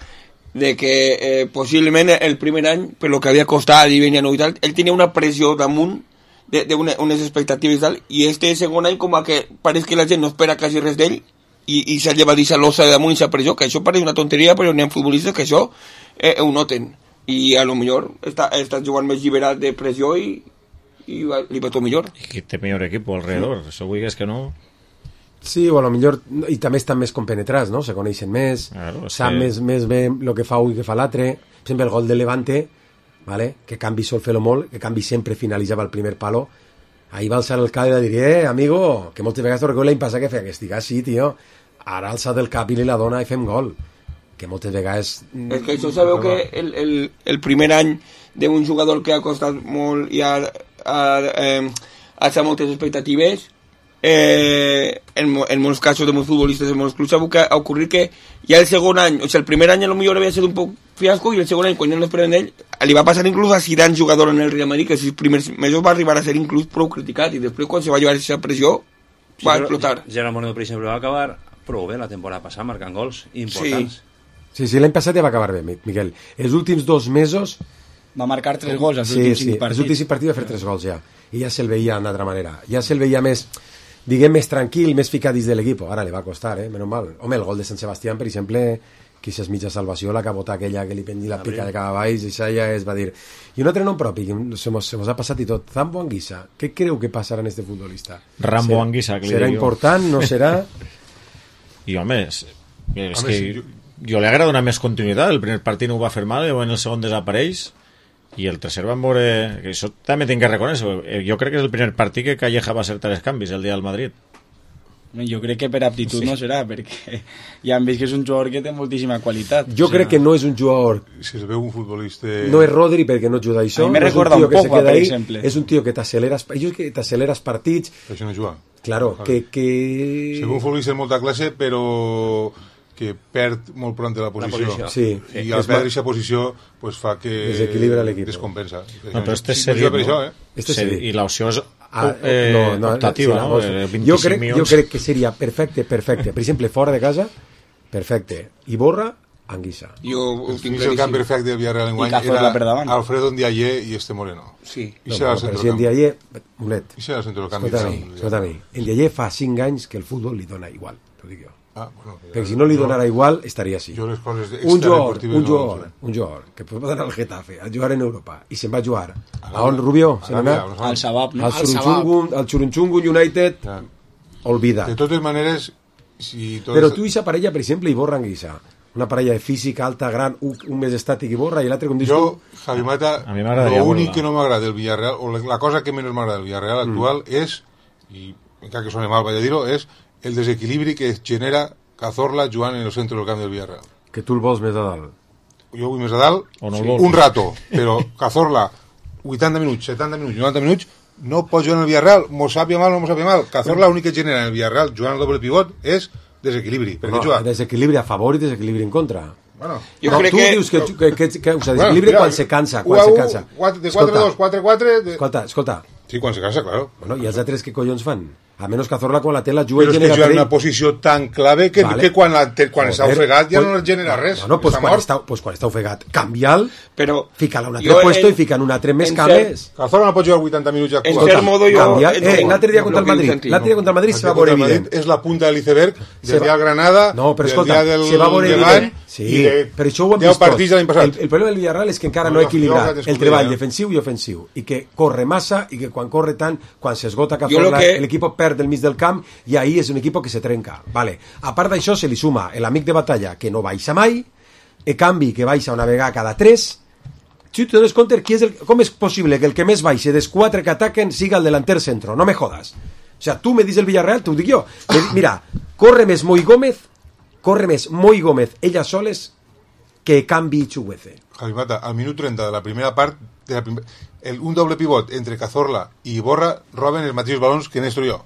de que possiblement el primer any, per lo que havia costat i venia nou i tal, ell tenia una pressió damunt unes expectatives i tal, i este segon any com a que pareix que la gent no espera quasi res d'ell i s'ha llevat aquesta losa de damunt i s'ha pressió, que això pareix una tonteria, però n'hi ha futbolistes que això ho noten, i a lo millor està jugant més lliberat de pressió i li va tot millor. I té millor equip alrededor, això vull que és que no... Sí, o a lo millor, i també estan més compenetrats, no? Se coneixen més, sap més bé el que fa un i que fa l'altre. Per exemple, el gol de Levante, ¿vale? Que Canvi sol fer-lo molt, que Canvi sempre finalitzava el primer palo, ahí va alçar el cap i va dir, amigo, que moltes vegades t'ho recordo l'any passat que feia, que estic així, tio, ara alça del cap i li la dona i fem gol, que moltes vegades... És que això sabeu que el primer any d'un jugador que ha costat molt i ha alçat moltes expectatives, en molts casos de molts futbolistes, en molts clubs, ha ocorrit que ja el segon any, o sigui, el primer any a lo millor havia sigut un poc fiasco i el segon any, quan ja no esperaven d'ell, li va passar inclús a Zidane, jugador en el Real Madrid, que els primers mesos va arribar a ser inclús prou criticat i després quan se va llevar aquesta pressió va explotar. Gerard Moreno, per exemple, va acabar prou bé la temporada passada, marcant gols importants. Sí, l'any passat ja va acabar bé, Miquel. Els últims 2 mesos... Va marcar 3 gols als últims 5 partits. Els últims 5 partits va fer 3 gols ja. I ja se'l veia d'una altra manera. Ja se'l veia més, diguem, més tranquil, més ficat dins de l'equip. Ara li va costar, menys mal. Home, el gol de Sant Sebastián, per exemple, que és mitja salvació, la cabota aquella que li pengi la pica de cap a baix, i això ja es va dir. I un altre nom propi, que se mos ha passat i tot, Zambo Anguissa. Què creu que passarà en este futbolista? Rambo Anguissa, que li dic jo. Serà important, no serà? I home, és que jo li agrada donar més continuïtat. El primer partit no ho va fer mal, i en el segon desapareix i el tercer van veure, que això també tinc que reconèixer, jo crec que és el primer partit que Calleja va acertar els canvis el dia del Madrid. Jo crec que per aptitud no serà, perquè ja hem vist que és un jugador que té moltíssima qualitat. Jo crec que no és un jugador... Si es veu un futbolista... No és Rodri perquè no ajuda això. A mi me recorda un Pogba, per exemple. És un tio que t'accelera partits. Això no juga. Claro, que... Si un futbolista de molta classe, però que perd molt pront de la posició. Sí. I al perdre aquesta posició pues, fa que desequilibra l'equip. Descompensa. No, però este és cedit, no? I l'opció és optativa, no? Jo crec que seria perfecte. Per exemple, fora de casa, perfecte. Iborra, Anguissa. Jo ho tinc el camp perfecte del Villarreal enguany era Alfredo Ndiaye i este Moreno. Sí. Però si Ndiaye, Molet, I serà el centre del camp. escolta-mi, Ndiaye fa 5 anys que el futbol li dona igual, t'ho dic jo. Perquè si no li donara igual estaria així. Un jugador que pot anar al Getafe a jugar en Europa i se'n va jugar a on, Rubio? Al Sabab, no? Al Churunchungun United, olvida. De totes maneres, però tu i sa parella, per exemple, Iborra Anguissa, una parella de física alta, gran, un més estàtic Iborra i l'altre com dius tu. Javi Mata, l'únic que no m'agrada del Villarreal, o la cosa que menys m'agrada del Villarreal actual és, i encara que soni mal vaig a dir-ho, és el desequilibri que genera Cazorla jugant en el centre del camp del Villarreal. Que tu el vols més a dalt. Jo vull més a dalt un rato, però Cazorla 80 minuts, 70 minuts, 90 minuts no pot jugar en el Villarreal, mos sàpia mal o no mos sàpia mal. Cazorla l'únic que genera en el Villarreal jugant al doble pivot és desequilibri. Desequilibri a favor i desequilibri en contra. Bueno, jo crec que... dius que desequilibri quan se cansa. De 4-2, 4-4... Escolta. Sí, quan se cansa, claro. Bueno, i els altres què collons fan? A menys Cazorla quan la té la juga però és que juga en una posició tan clave que quan està ofegat ja no genera res. No, pues quan està ofegat, canvia'l, fica-la un altre puesto i fica en un altre més cames. Cazorla no pot jugar 80 minuts ja. En cert modo jo... L'altre dia contra el Madrid se va veure evident. És la punta de l'iceberg del dia del Granada, del dia del Levant, sí, però això ho hem vist tot. El problema del Villarreal és que encara no ha equilibrat el treball defensiu i ofensiu i que corre massa i que quan corre tant, quan s'esgota Cazorla, l'equip perd del mig del camp i ahí és un equip que se trenca. Vale. A part d'això se li suma l'amic de batalla que no baixa mai, el canvi que baixa una vegada cada 3. Si tu dones compte, com és possible que el que més baixe dels 4 que ataquen siga el delanter centro? No me jodas. O sea, tu me dius el Villarreal, t'ho dic jo. Mira, corre més Moi Gómez, elles soles, que canvi Chuguece. Javi Mata, al minut 30 de la primera part, un doble pivot entre Cazorla i Iborra roben els mateixos balons que Néstor i jo.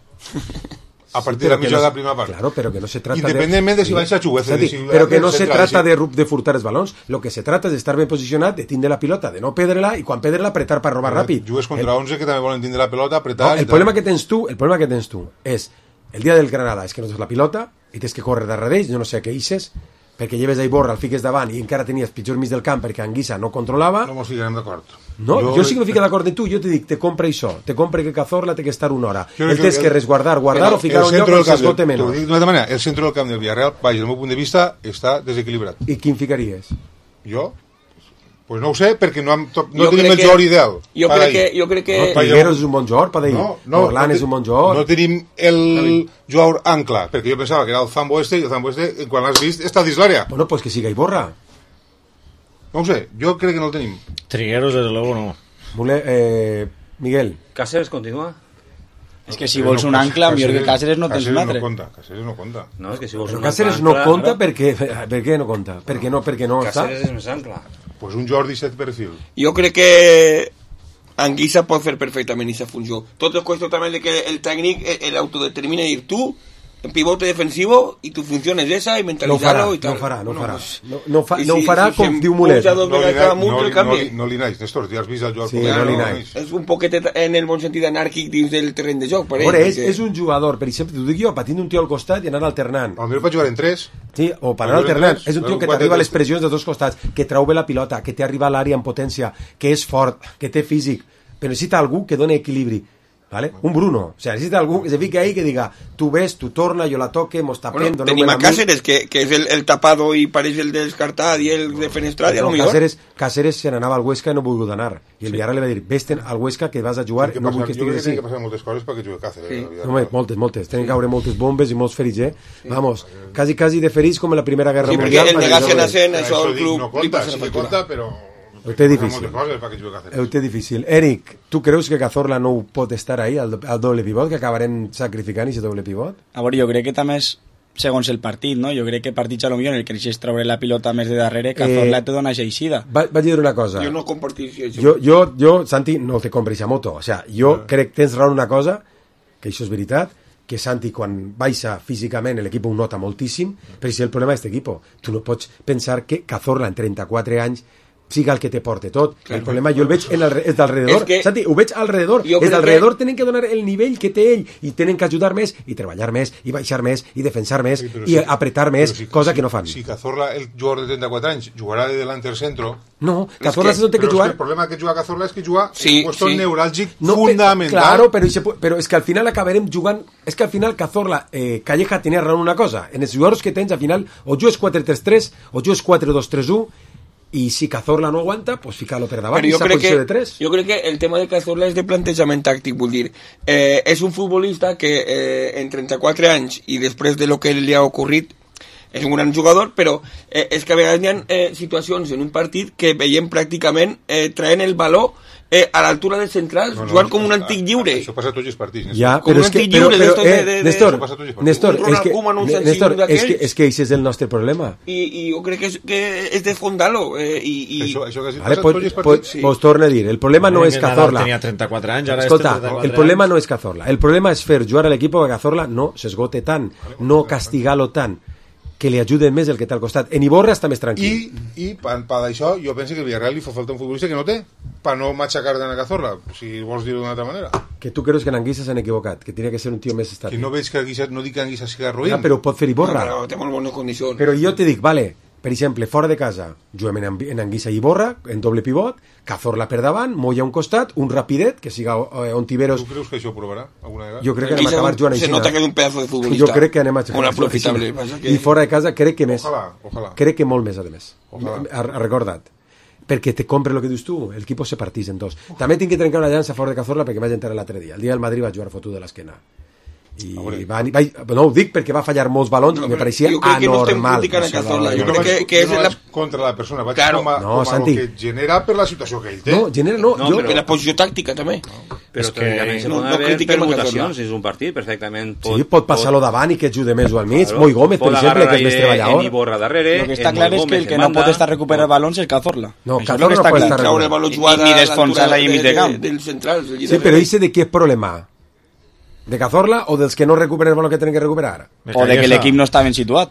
A partir de la mitja de la primera part. Claro, pero que no se trata independientemente de si baixa Chuguece. Pero que no se trata de furtar els balons. Lo que se trata és d'estar ben posicionat, de tindre la pilota, de no perdre-la i quan perdre-la apretar per robar ràpid. Jugues contra 11 que també volen tindre la pilota, apretar... El problema que tens tu és el dia del Granada és que no tens la pilota i tens que córrer darrere d'ells, jo no sé què ixes, perquè lleves a Iborra, el fiques davant i encara tenies pitjor mig del camp perquè Anguissa no controlava. No mos ficarem d'acord. No, jo sí que me fico d'acord de tu, jo te dic, te compra això, te compra que Cazorla té que estar una hora. El tens que resguardar o ficar un lloc on s'esgote menys. T'ho dic d'una altra manera, el centre del camp del Villarreal, vaja, del meu punt de vista, està desequilibrat. I quin ficaries? Jo? Pues no ho sé, perquè no tenim el jugador ideal. Jo crec que... Figueros és un bon jugador, per dir. Orlán és un bon jugador. No tenim el jugador ancla, perquè jo pensava que era el Zambo este, i el Zambo este, quan l'has vist, està dins l'àrea. Bueno, pues que siga Iborra. No ho sé, jo crec que no el tenim. Trigueros, desde luego, no. Miguel. Cáceres continua. És que si vols un ancla, millor que Cáceres no tens un altre. Cáceres no conta. No, és que si vols un Cáceres no conta perquè... Per què no conta? Perquè no està? Cáceres és més ancla. Pues un Jordi set perfil. Jo crec que Anguissa pot fer perfectament aquesta funció. Tot és qüestió també de que el tècnic l'autodetermina i dir tu en pivote defensivo y tu función es esa y mentalizarlo y tal. No ho farà com diu Mulet. No li naix, Néstor, ja has vist el jugador. Sí, no li naix. És un poquet en el bon sentit anàrquic dins del terreny de joc. És un jugador, per exemple, t'ho dic jo, patint un tio al costat i anar alternant. Potser pot jugar en 3. Sí, o per anar alternant. És un tio que t'arriba a les pressions de dos costats, que trau bé la pilota, que té arriba a l'àrea en potència, que és fort, que té físic, però necessita algú que doni equilibri. ¿Vale? Un Bruno, o sea, necesita algún que se fique ahí que diga, tú ves, tú torna, yo la toque, mos tapem, bueno, tenim a Cáceres, que és el tapado i pareix el descartat i el defenestrat, no, Cáceres se n'anava al Huesca i no volgut anar, i el Villarreal li va dir, vés al Huesca que vas a jugar, no vull que estiguis així. Jo crec que passar moltes coses perquè jugui Cáceres. Moltes, tenen que haure moltes bombes i molts ferits, Vamos, quasi de ferits com en la Primera Guerra Mundial. Sí, perquè el negassen a Sen, això el club... No conta, sí que conta, però... Ho té difícil. Eric, tu creus que Cazorla no pot estar ahí, al doble pivot, que acabarem sacrificant aquest doble pivot? A veure, jo crec que també és segons el partit, no? Jo crec que partits a lo millor en el que deixes treure la pilota més de darrere, Cazorla te dona aixida. Vaig dir una cosa. Jo no compartiria això. Jo, Santi, no te compris a moto. O sea, jo crec que tens raó en una cosa, que això és veritat, que Santi quan baixa físicament l'equip ho nota moltíssim, però si el problema és l'equip, tu no pots pensar que Cazorla en 34 anys siga el que te porte tot. Claro, el problema jo el veig és d'alrededor. Santi, ho veig alrededor. És d'alrededor tenen que donar el nivell que té ell i tenen que ajudar més i treballar més i baixar més i defensar més i apretar més, cosa que no fan. Si Cazorla, el jugador de 34 anys, jugarà de delantero centro... No, Cazorla se no té que jugar... El problema que juga Cazorla és que juga en un puesto neuràlgic fundamental. Claro, però és que al final acabarem jugant... És que al final Cazorla, Calleja tenia raó en una cosa. En els jugadors que tens, al final, o jugues 4-3-3 o jugues 4-2-3-1, i si Cazorla no aguanta, pues fica-lo per davant i s'ha posició de 3. Jo crec que el tema de Cazorla és de plantejament tàctic, vull dir, és un futbolista que en 34 anys i després de lo que li ha ocorrit és un gran jugador, però és que a vegades hi ha situacions en un partit que veiem pràcticament traient el valor a l'altura dels centrals, jugant com un antic lliure. Això passa a tots els partits. Ja, com un antic lliure. Néstor, és que això és el nostre problema. I jo crec que és de fondar-lo. Això que has dit passa a tots els partits. Pues torna a dir, el problema no és Cazorla. Tenia 34 anys, ara escolta, el problema no és Cazorla. El problema és fer jugar a l'equip que Cazorla no s'esgote tant, no castigar-lo tant, que li ajuden més el que té al costat. En Iborra està més tranquil. I per això jo penso que el Villarreal li fa falta un futbolista que no té, per no matxacar de Cazorla, si vols dir-ho d'una altra manera. Que tu creus que en Anguissa s'han equivocat, que tenia que ser un tio més estàtic. Que no veig que Anguissa, no dic que Anguissa siga ruïn. Però pot fer Iborra. Però té molt bones condicions. Però jo te dic, vale, per exemple, fora de casa, juguem en Anguissa i Iborra, en doble pivot, Cazorla per davant, Moya a un costat, un rapidet, que siga Ontiveros... Tu creus que això ho provarà alguna vegada? Jo crec que anem a acabar jugant així. Se nota que és un pedazo de futbolista. Jo crec que anem a jugar aprofitable. I fora de casa crec que més. Ojalà. Crec que molt més, a més. Recorda't. Perquè te compre el que dius tu, el equip se partís en dos. També tinc que trencar una llança fora de Cazorla perquè vaig entrar l'altre dia. El dia del Madrid va jugar fotut de l'esquena. No ho dic perquè va fallar molts balons i me pareixia anormal. Jo crec que és contra la persona, vaig com el que genera per la situació que ell té. No, per la posició tàctica també. Però tècnicament se poden haver permutacions, és un partit perfectament. Sí, pot passar-lo davant i que ajude més o al mig. Moi Gómez, per exemple, que és més treballador. Lo que està clar és que el que no pot estar recuperar balons és Cazorla. No, Cazorla no pot estar recuperar. Ni desfonsar ahí mig de camp. Sí, però ese de què és problema? De Cazorla o dels que no recuperen el balón que tenen que recuperar? O de que l'equip no està ben situat.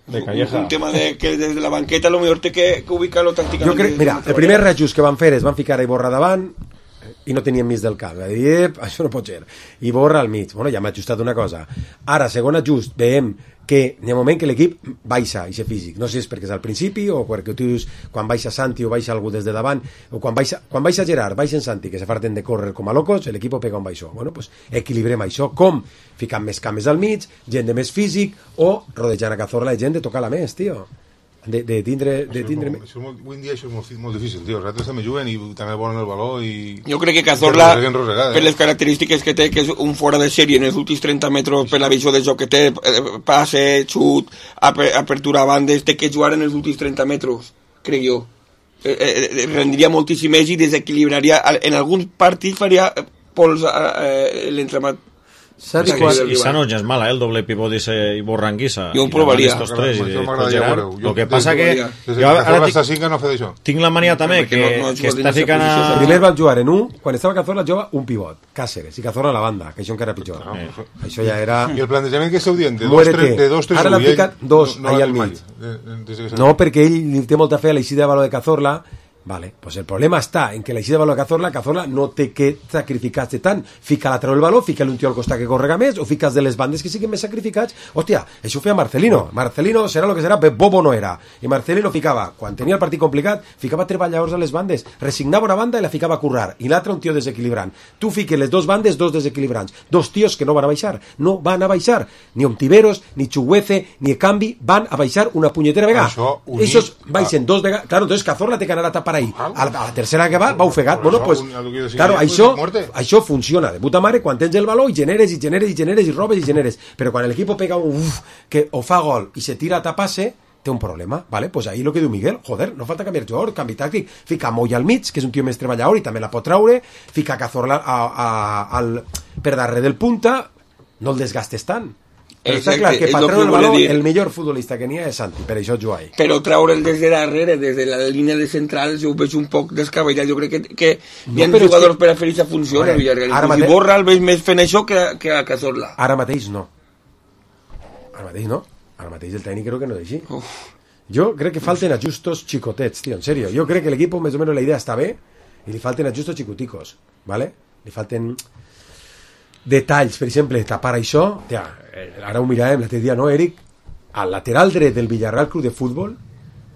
Un tema de que des de la banqueta a lo millor té que ubicar-lo tàcticament. Jo crec, mira, el primer reajust que van fer és van ficar a Iborra davant i no tenien mig del camp. Va dir, això no pot ser. Iborra al mig. Bueno, ja m'ha ajustat una cosa. Ara, segon ajust, veiem que hi ha un moment que l'equip baixa i ser físic. No sé si és perquè és al principi o perquè tu dius quan baixa Santi o baixa algú des de davant o quan baixa Gerard, baixen Santi que se farten de córrer com a locos, l'equip pega un baixó. Bueno, pues equilibrem això. Com? Ficant més cames al mig, gent de més físic o rodejant a Cazorla gent de tocar-la més, tio. De tindre... Avui en dia això és molt difícil, tio. Els altres també juguen i també volen el valor i... Jo crec que Cazorla, per les característiques que té, que és un fora de sèrie en els últims 30 metres per la visió del joc que té, passe, xut, apertura a bandes, té que jugar en els últims 30 metres, crec jo. Rendiria moltíssim més i desequilibraria. En alguns partits faria pols l'entremat. I Sano ja és mala, el doble pivot i Borranguissa. Jo ho provaria. El que passa que tinc la mania també que està ficant a... Primer van jugar en un, quan estava Cazorla jugava un pivot, Cáceres, i Cazorla a la banda, que això encara pitjor. Això ja era... I el plantejament que esteu dient, de 2-3-1, ara l'han ficat dos allà al mig. No, perquè ell té molta fe a l'eixida de valor de Cazorla. Vale, pues el problema està en que l'eixida de valor de Cazorla no té que sacrificar-se tant. Fica-la treu el valor, fica-li un tio al costat que correga més o fica de les bandes que siguin més sacrificats. Hòstia, això ho feia Marcelino. Marcelino serà el que serà, Bobo no era. I Marcelino ficava, quan tenia el partit complicat, ficava treballadors a les bandes, resignava una banda i la ficava a currar, i l'altra un tio desequilibrant. Tu fiques les dos bandes, dos desequilibrants, dos tios que no van a baixar, no van a baixar. Ni Ontiveros, ni Chuguece, ni Ekambi van a baixar una punyetera vegada. Esos baixen dos vegades. Claro, entonces Cazorla té que anar a tapar ahí. A la tercera que va ofegat. Bueno, pues, claro, això funciona de puta mare quan tens el valor i generes i robes i generes, però quan l'equip pega un que o fa gol i se tira a tapar-se, té un problema, ¿vale? Pues ahí lo que diu Miguel, joder, no falta canviar jugador, canvi tàctic, fica Moya al mig, que és un tio més treballador i també la pot traure, fica Cazorla per darrere del punta, no el desgastes tant. Però està clar que per treure el valor, el millor futbolista que n'hi ha és Santi, per això juga ahí. Però treure'l des de darrere, des de la línia de centrals, jo ho veig un poc descabellat. Jo crec que hi ha jugadors per a fer aquesta funció a Villarreal. Si Borra el veig més fent això que a Cazorla. Ara mateix no. Ara mateix el tècnic crec que no és així. Jo crec que falten ajustos xicotets, tio, en serio. Jo crec que l'equip, més o menys, la idea està bé i li falten ajustos xicoticos, ¿vale? Li falten detalls, per exemple, tapar això. Tia, ara ho miràvem l'altre dia, no, Eric? Al lateral dret del Villarreal Club de Futbol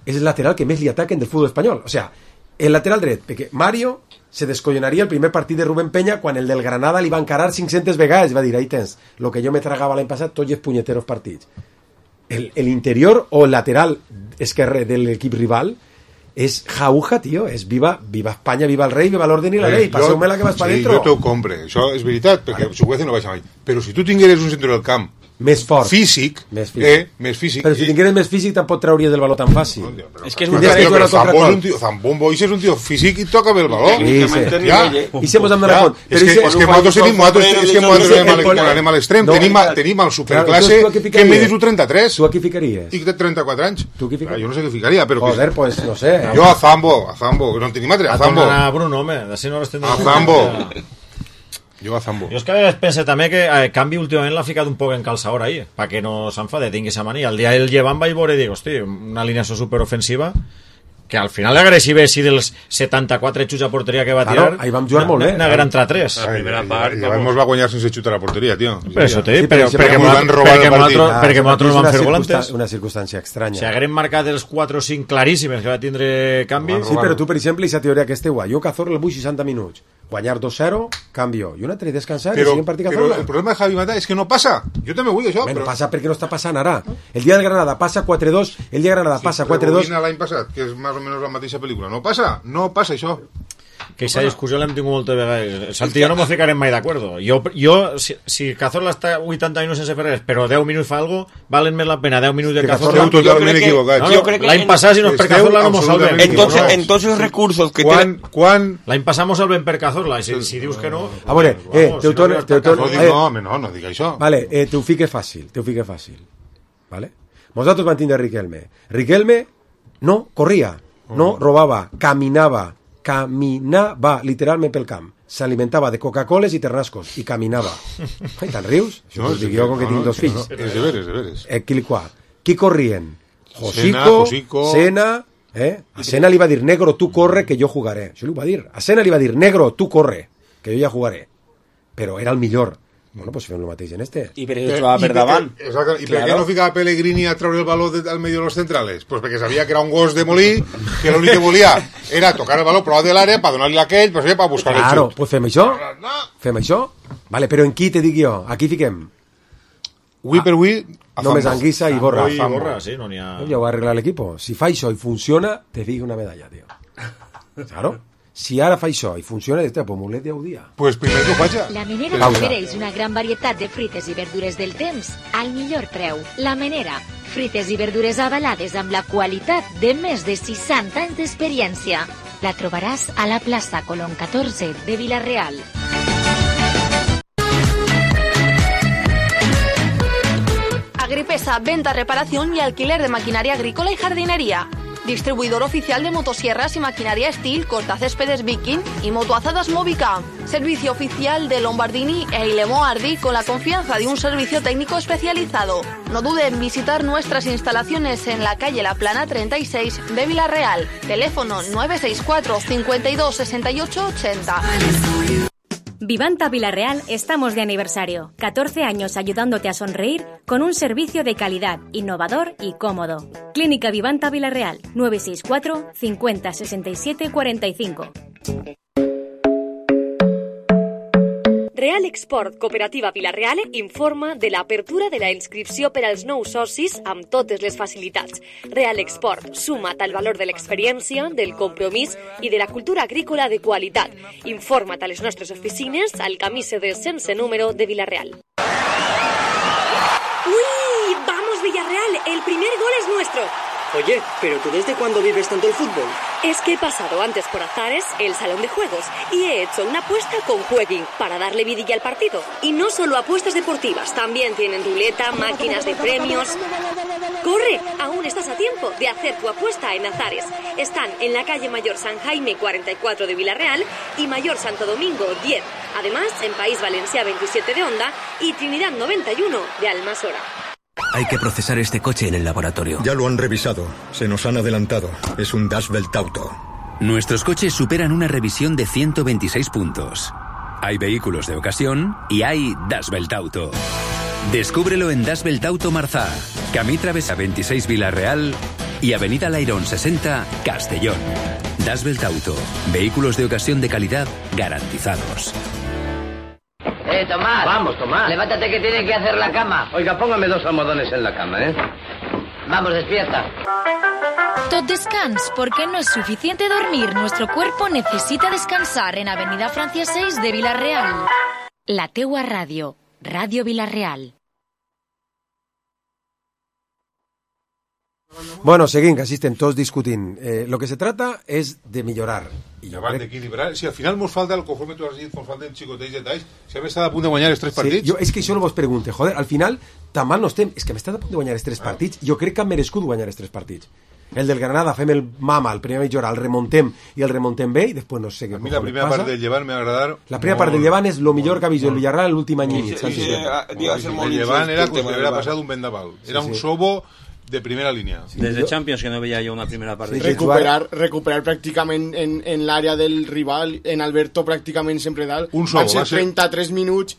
és el lateral que més li ataquen del futbol espanyol. O sea, el lateral dret, perquè Mario se descollonaria el primer partit de Rubén Peña quan el del Granada li va encarar 500 vegades. Va dir, ahí tens, lo que jo me tragava l'any passat, tots els punyeteros partits. El interior o el lateral esquerre de l'equip rival és jauja, tio, és viva Espanya, viva el rei, viva l'orden i la llei, passeu-me la que vas pa dentro. Jo t'ho compre, això és veritat, perquè Chukwueze no baixa mai, però si tu tingueres un centre del camp més fort, físic, més físic. Però si tingueres més físic tampoc trauries del valor tan fàcil. És que és un Zambon Boix és un tio físic i toca bé el valor. I se mos hem donat compte. És que nosaltres anem a l'extrem, tenim el superclasse que medis un 33. Tu a qui ficaries? I que té 34 anys. Tu qui ficaries? Jo no sé què ficaria, però... Joder, pues no sé. Jo a Zambo, no en tenim altre, a Zambo. A Bruno, home, d'ací no les tindrem. A Zambo. Jo a Zambo. Jo és que pense també que Canvi últimament l'ha ficat un poc en calçador ahí, perquè no s'enfade, tingui esa mania. El dia el llevant vaig veure i dic, hosti, una alineació superofensiva que al final l'agressiva si dels 74 xuts a porteria que va tirar, ahí vam jugar molt bé. N'hagueren entrat 3. La primera part... Llavors va guanyar sense xutar a la porteria, tio. Per això t'he dit, perquè nosaltres vam fer volantes. Una circumstància estranya. Si hagueren marcat els 4 o 5 claríssimes que va tindre Canvi... Sí, però tu, per exemple, aquesta teoria que esteu, jo Cazorla el vull 60 minuts, guanyar 2-0, canvio, i un altre descansar i seguim partit Cazorla. Però el problema de Javi Mata és que no passa. Jo també vull això. No passa perquè no està passant ara. El dia del Granada passa 4-2, el dia de Granada passa 4-2. L'any passat, que és més o menys la mateixa pel·lícula. No passa això. Que aquesta discussió l'hem tingut moltes vegades. Santi, jo no m'ho ficarem mai d'acord. Jo si Cazorla està 80 minuts sense fer res, però 10 minuts fa algo, valen més la pena 10 minuts de Cazorla. Esteu totalment equivocats. L'any passat, si no és per Cazorla, no mos salvem. Entonces els recursos que tenen... L'any passat mos salvem per Cazorla, si dius que no... A veure, no dic això. Vale, t'ho fique fàcil. Vale? Nosaltres vam tindre Riquelme no corria, no robava, caminava literalment pel camp, s'alimentava de Coca-Coles i ternascos i caminava. Ai, te'n rius? Això ho dic jo com que tinc 2 fills. És de veres. Qui corrien? Josico, Sena, a Sena li va dir, negro, tu corre que jo jugaré. Això li va dir. A Sena li va dir, negro, tu corre que jo ja jugaré. Però era el millor. Bueno, pues fem el mateix en este. I per això jugava per davant. I per què no ficava Pellegrini a treure el baló al medio de los centrales? Pues perquè sabia que era un gos de molí, que l'únic que volia era tocar el baló prou de l'àrea per donar-li a aquell, per buscar el xut. Claro, pues fem això. Vale, però en qui te dic jo? Aquí fiquem. Avui per avui... Només Anguissa i Borra. Sí, no n'hi ha... Ja ho va arreglar l'equipo. Si fa això i funciona, te dic una medalla, tio. Claro. Si ara fa això i funciona, pues mulet ja ho dia. Pues primer que ho faig. La Menera t'ofereix una gran varietat de fruites i verdures del temps al millor preu. La Menera, fruites i verdures avalades amb la qualitat de més de 60 anys d'experiència. La trobaràs a la plaça Colón 14 de Vila-real. Agripesa, venta, reparación y alquiler de maquinaria agrícola y jardinería. Distribuidor oficial de motosierras y maquinaria Steel, cortacéspedes Viking y motoazadas Movica. Servicio oficial de Lombardini e Ilemo Ardi con la confianza de un servicio técnico especializado. No dude en visitar nuestras instalaciones en la calle La Plana 36 de Vila-real. Teléfono 964 52 68 80. Vivanta Vila-real estamos de aniversario. 14 años ayudándote a sonreír con un servicio de calidad, innovador y cómodo. Clínica Vivanta Vila-real, 964 50 67 45. Real Export Cooperativa Vila-real informa de l'apertura de la inscripció per als nous socis amb totes les facilitats. Real Export, suma't al valor de l'experiència, del compromís i de la cultura agrícola de qualitat. Informa't a les nostres oficines al camí CD sense número de Vila-real. ¡Uy! ¡Vamos, Villarreal! ¡El primer gol es nuestro! Oye, ¿pero tú desde cuándo vives tanto el fútbol? Es que he pasado antes por Azares, el salón de juegos, y he hecho una apuesta con Jueguin para darle vidilla al partido. Y no solo apuestas deportivas, también tienen ruleta, máquinas de premios. ¡Corre! Aún estás a tiempo de hacer tu apuesta en Azares. Están en la calle Mayor San Jaime 44 de Villarreal y Mayor Santo Domingo 10. Además, en País Valencià 27 de Onda y Trinidad 91 de Almasora. Hay que procesar este coche en el laboratorio. Ya lo han revisado. Se nos han adelantado. Es un Das Welt Auto. Nuestros coches superan una revisión de 126 puntos. Hay vehículos de ocasión y hay Das Welt Auto. Descúbrelo en Das Welt Auto Marzá, Camí Travessa 26 Villarreal y Avenida Lairón 60 Castellón. Das Welt Auto. Vehículos de ocasión de calidad garantizados. Tomás. Vamos, Tomás. Levántate que tiene que hacer la cama. Oiga, póngame 2 almohadones en la cama, ¿eh? Vamos, despierta. Tot descans, porque no es suficiente dormir. Nuestro cuerpo necesita descansar en Avenida Francia 6 de Villarreal. La teua ràdio. Ràdio Villarreal. Bueno, seguim, que així estem tots discutint. Lo que se trata és de millorar. I abans d'equilibrar, si al final mos falta, conforme tu has dit, mos falten xicotells detalls, si hem estat a punt de guanyar els 3 partits... Sí, és que això no vos pregunte, joder, al final tan mal no estem, és que hem estat a punt de guanyar els 3 partits, jo crec que han merescut guanyar els 3 partits. El del Granada, fem el mama, el primer mitja hora, el remontem i el remontem bé, i després no sé què. A mi la primera part del Llevant m'ha agradat... La primera part del Llevant és el millor que ha vist el Villarreal l'últim any i mig. El Llevant era com si haguera passat un vendaval. Era un sobo de primera línia. Des de Champions que no veia jo una primera part. Recuperar pràcticament en l'àrea del rival, en Alberto pràcticament sempre dalt. Van ser 33 minuts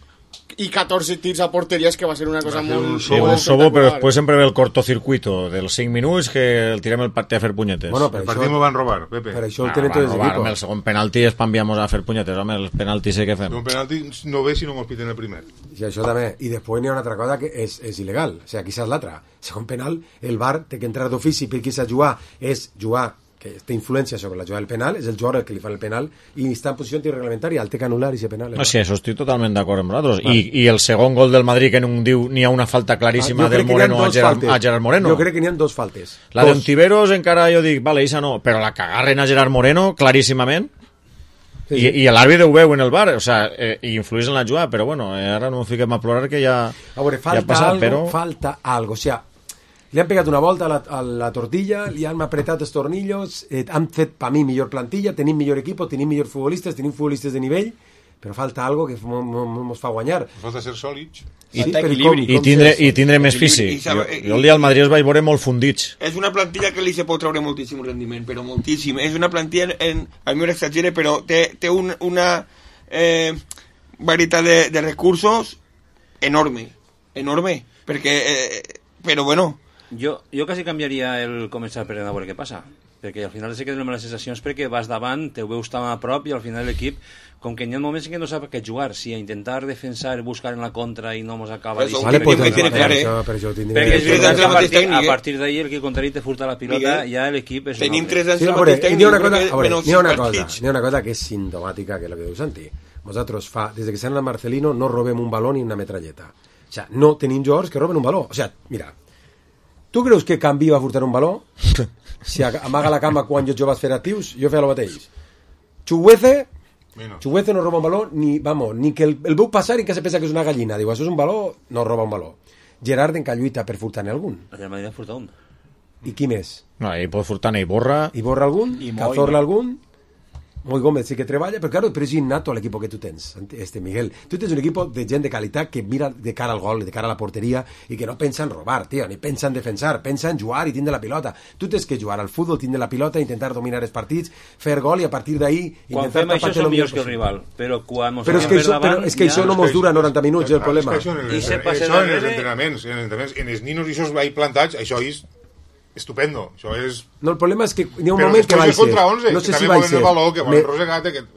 y 14 tirs a porterías, que va a ser una cosa muy... Sí, un sobo, però després sempre ve el cortocircuito dels 5 minuts que el tirem el partit a fer punyetes. Bueno, el partit m'ho van robar, Pepe. Per això el tenen tots els equipos. El segon penalti es panviamos a fer punyetes, home, el penalti sé què fem. Un penalti no ve si no mos piten el primer. Sí, això també. I després n'hi ha una altra cosa que és il·legal. O sigui, aquí és l'altra. Segon penal, el VAR té que entrar d'ofici perquè s'ha jugar, és jugar que té influència sobre la jugada del penal, és el jugador el que li fa el penal i està en posició antirreglamentària, el té que anul·lar i ser penal. No, sí, això estic totalment d'acord amb vosaltres. I el segon gol del Madrid que no diu n'hi ha una falta claríssima del Moreno a Gerard Moreno. Jo crec que n'hi ha 2 faltes. La d'Ontiveros encara jo dic, vale, isa no, però la que agarren a Gerard Moreno claríssimament. Sí. I l'àrbitre ho veu en el bar, o sea, i influís en la jugada, però bueno, ara no fiquem a plorar que ja a veure, falta ja passat, falta algo, o sea, li han pegat una volta a la tortilla, li han apretat els tornillos, han fet per mi millor plantilla, tenim millor equip, tenim millors futbolistes, tenim futbolistes de nivell, però falta algo que ens fa guanyar. Falta ser sòlids. Sí, i tindre més físic. Jo el dia al Madrid els vaig veure molt fundits. És una plantilla que li se pot treure moltíssim rendiment, però moltíssim. És una plantilla, al meu exagere, però té una varietat de recursos enorme, perquè, però bueno... Jo quasi canviaria el començar per a veure què passa, perquè al final sí que donem les sensacions perquè vas davant, te veus tan a prop i al final l'equip, com que hi ha moments en què no sap què jugar, si a intentar defensar, buscar en la contra i no mos acaba perquè és veritat que a partir d'ahir el que contrari te furta la pilota, ja l'equip és tenim 3 anys al mateix tècnic. N'hi ha una cosa que és sintomàtica, que és la que diu Santi. Nosaltres des que s'han a Marcelino no robem un baló ni una metralleta, o sea, no tenim jugadors que roben un baló, o sea, mira, tu creus que Canvi va furtar un baló? Si amaga la cama quan jo vaig fer actius, jo feia el mateix. Chuguece no roba un baló ni que el veu passar i que se pensa que és una gallina. Diu, això és un baló, no roba un baló. Gerard en lluita per furtar-ne algun. El Madrid ha furtat un. I qui més? No, ell pot furtar-ne i borra. I borra algun? Cazorla algun? Muy Gómez sí que treballa, però claro, és innato l'equip que tu tens, Miguel. Tu tens un equip de gent de qualitat que mira de cara al gol, de cara a la porteria, i que no pensa en robar, tio, ni pensa en defensar, pensa en jugar i tindre la pilota. Tu tens que jugar al futbol, tindre la pilota, intentar dominar els partits, fer gol i a partir d'ahí... Quan fem això som millors que el rival, però quan però és que això no mos dura 90 minuts, el problema. Això en els entrenaments, en els ninos i això va plantats, això és estupendo, això és... No, el problema és que hi ha un moment que va ser... No sé si va ser...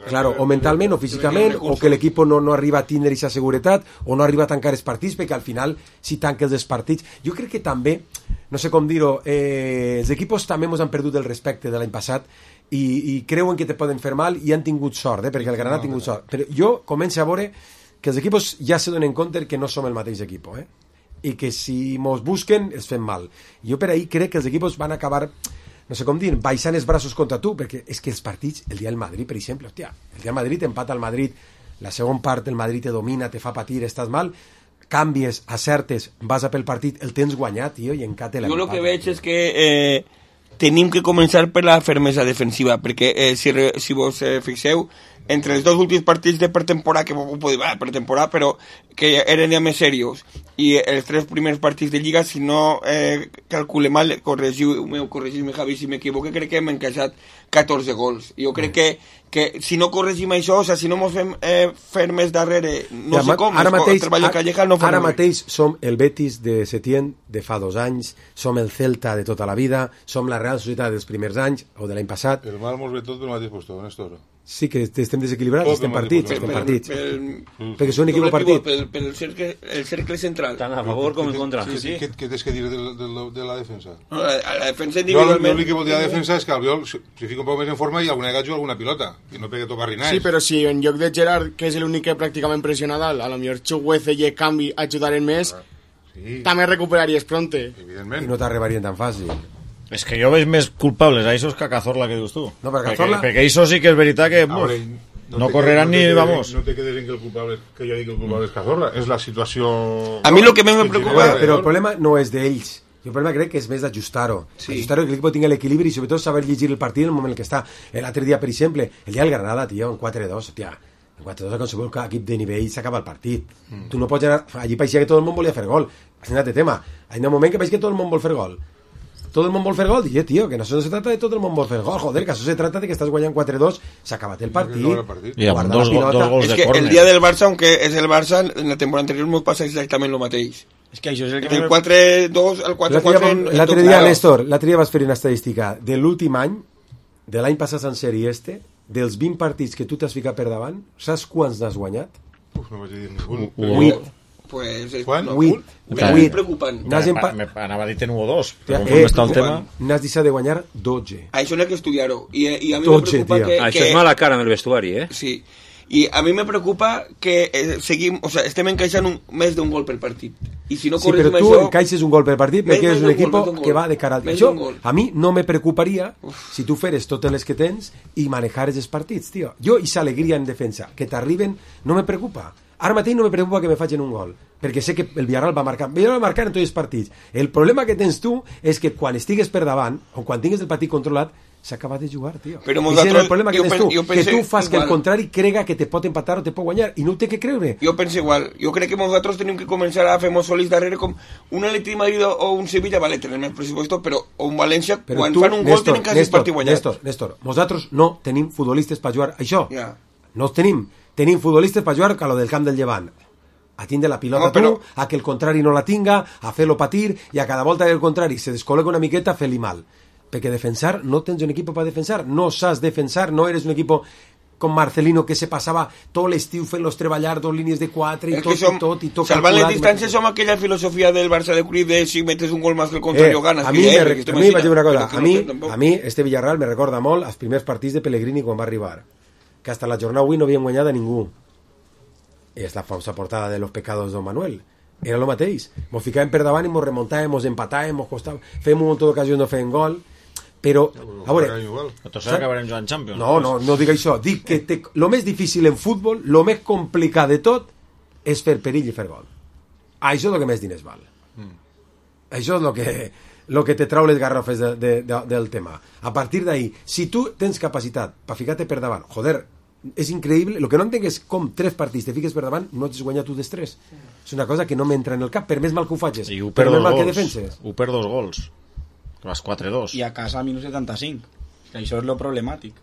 Claro, o mentalment o físicament, o que l'equip no arriba a tindre aquesta seguretat, o no arriba a tancar els partits, perquè al final, si tanques els partits... Jo crec que també, no sé com dir-ho, els equips també ens han perdut el respecte de l'any passat i creuen que te poden fer mal i han tingut sort, perquè el Granada ha tingut sort. Però jo començo a veure que els equips ja se donen compte que no som el mateix equip, i que si mos busquen els fem mal. Jo per ahir crec que els equips van acabar, no sé com dir, baixant els braços contra tu, perquè és que els partits, el dia del Madrid, per exemple, hòstia, el dia del Madrid empata el Madrid, la segona part el Madrid te domina, te fa patir, estàs mal, canvies, acertes, vas a pel partit, el tens guanyat, tio, i encate l'empat. Jo el que veig és que tenim que començar per la fermesa defensiva, perquè si vos fixeu, entre els dos últims partits de pretemporada, que pretemporada, però que eren ja més serios, i els 3 primers partits de Lliga, si no calcule mal, corregiu-me Javi si m'equivoque, crec que hem encaixat 14 gols. Jo crec que si no corregim això, o sigui, si no ens fem fermes darrere, no sé com, treballa Calleja, no ara mateix som el Betis de Setién de fa 2 anys, som el Celta de tota la vida, som la Real Societat dels primers anys, o de l'any passat. El mal mos ve tot pel mateix lloc, Néstor. Sí, que estem desequilibrats, estem partits. Perquè són un equip partit. Pel cercle central. Tant a favor com en contra. Què tens que dir de la defensa? La defensa individualment... L'únic que vol dir la defensa és que Albiol se fica un poc més en forma i alguna vegada juga alguna pilota, i no perquè toca rinars. Sí, però si en lloc de Gerard, que és l'únic que pràcticament pressiona dalt, a lo millor Chuguece i Canvi ajudaren més, també recuperaries pronte. I no t'arribarien tan fàcil. És que jo veig més culpables a Isos que a Cazorla, que dius tu. No, perquè Isos sí que és veritat que no correran ni vamos. No te quedes en que jo dic que el culpable és Cazorla, és la situació... A mi el que me preocupa... Però el problema no és d'ells. Jo el problema crec que és més d'ajustar-ho. Ajustar-ho, que l'equip tingui l'equilibri i sobretot saber llegir el partit en el moment en què està. L'altre dia, per exemple, el dia del Granada, tio, en 4-2, tia, en 4-2 a qualsevol equip de nivell s'acaba el partit. Tu no pots anar... Allí paeixia que tot el món volia fer gol. És un altre tema. En el moment que paeix que tot el món vol fer gol. Todo el mundo vol fer gol, dije, tío, que no se trata de todo el mundo vol fer gol, joder, que eso se trata de que estás guanyant 4-2, se acabat el partit, y amb dos gols de córner. Es que el día del Barça, aunque es el Barça, en la temporada anterior nos pasa exactament lo mateix. És que això és el que... El 4-2 al 4-4... L'altre dia, Néstor, l'altre dia vas fer una estadística de l'últim any, de l'any passat en sèrie dels 20 partits que tu t'has ficat per davant, saps quants n'has guanyat? No vaig dir ningú. 8. Pues és preocupant. Anava a dir en 1 o 2, però com està el tema... N'has deixat de guanyar 12. Això n'hi ha que estudiar-ho. I a mi me preocupa que... Això és mala cara en el vestuari, Sí. I a mi me preocupa que seguim... O sea, estem encaixant més d'un gol per partit. I si no corregim això... Sí, però tu encaixes un gol per partit perquè és un equip que va de cara al... Això a mi no me preocuparia si tu feres totes les que tens i manejares els partits, tio. Jo i s'alegria en defensa. Que t'arriben no me preocupa. Ara mateix no me preocupa que me facin un gol, perquè sé que el Villarreal va marcar. Villarreal va marcar en tots els partits. El problema que tens tu és que quan estigues per davant, o quan tingues el partit controlat, s'acaba de jugar, tio. Però és el problema que tens tu, que tu fas que el contrari crega que te pot empatar o te pot guanyar, i no ho té que creure. Jo penso igual. Jo crec que nosaltres tenim que començar a fer-nos solis darrere com un Atleti Madrid o un Sevilla, vale, tenim el pressupost, però o un València, quan fan un gol tenen quasi el partit guanyat. Néstor, nosaltres no tenim futbolistes per jugar això. No els tenim. Tenim futbolistes per jugar a lo del camp del Llevant, a tindre la pilota a que el contrari no la tinga, a fer-lo patir, i a cada volta que el contrari se descol·loca una miqueta, fer-li mal. Perquè defensar, no tens un equip per defensar, no saps defensar, no eres un equip com Marcelino, que se passava tot l'estiu fent-los treballar 2 línies de 4 i tot. Salvant les distàncies som aquella filosofia del Barça de Cruyff de si metes un gol més que el contrari ganes. A mi vaig dir una cosa, a mi este Villarreal me recorda molt els primers partits de Pellegrini quan va arribar, que hasta la jornada avui no havien guanyat a ningú. I és la famosa portada de los pecados de Don Manuel. Era lo mateix. Mos ficàvem per davant i mos remuntàvem, mos empatàvem, mos costàvem, fèiem un munt d'ocasions no feien gol, però a veure, nosaltres acabarem jugant Champions. No dic això, dic que lo més difícil en futbol, lo més complicat de tot és fer perill i fer gol. Això és el que més diners val. Això és lo que te trau les garrofes del tema. A partir d'ahí, si tu tens capacitat per ficar-te per davant, joder, és increïble. El que no entenc és com 3 partits te fiques per davant no ets guanyat tu dels 3. És una cosa que no m'entra en el cap, per més mal que ho facis, per més mal que defenses. Ho per 2 gols, que vas 4-2. I a casa a minus 75. Que això és lo problemàtic.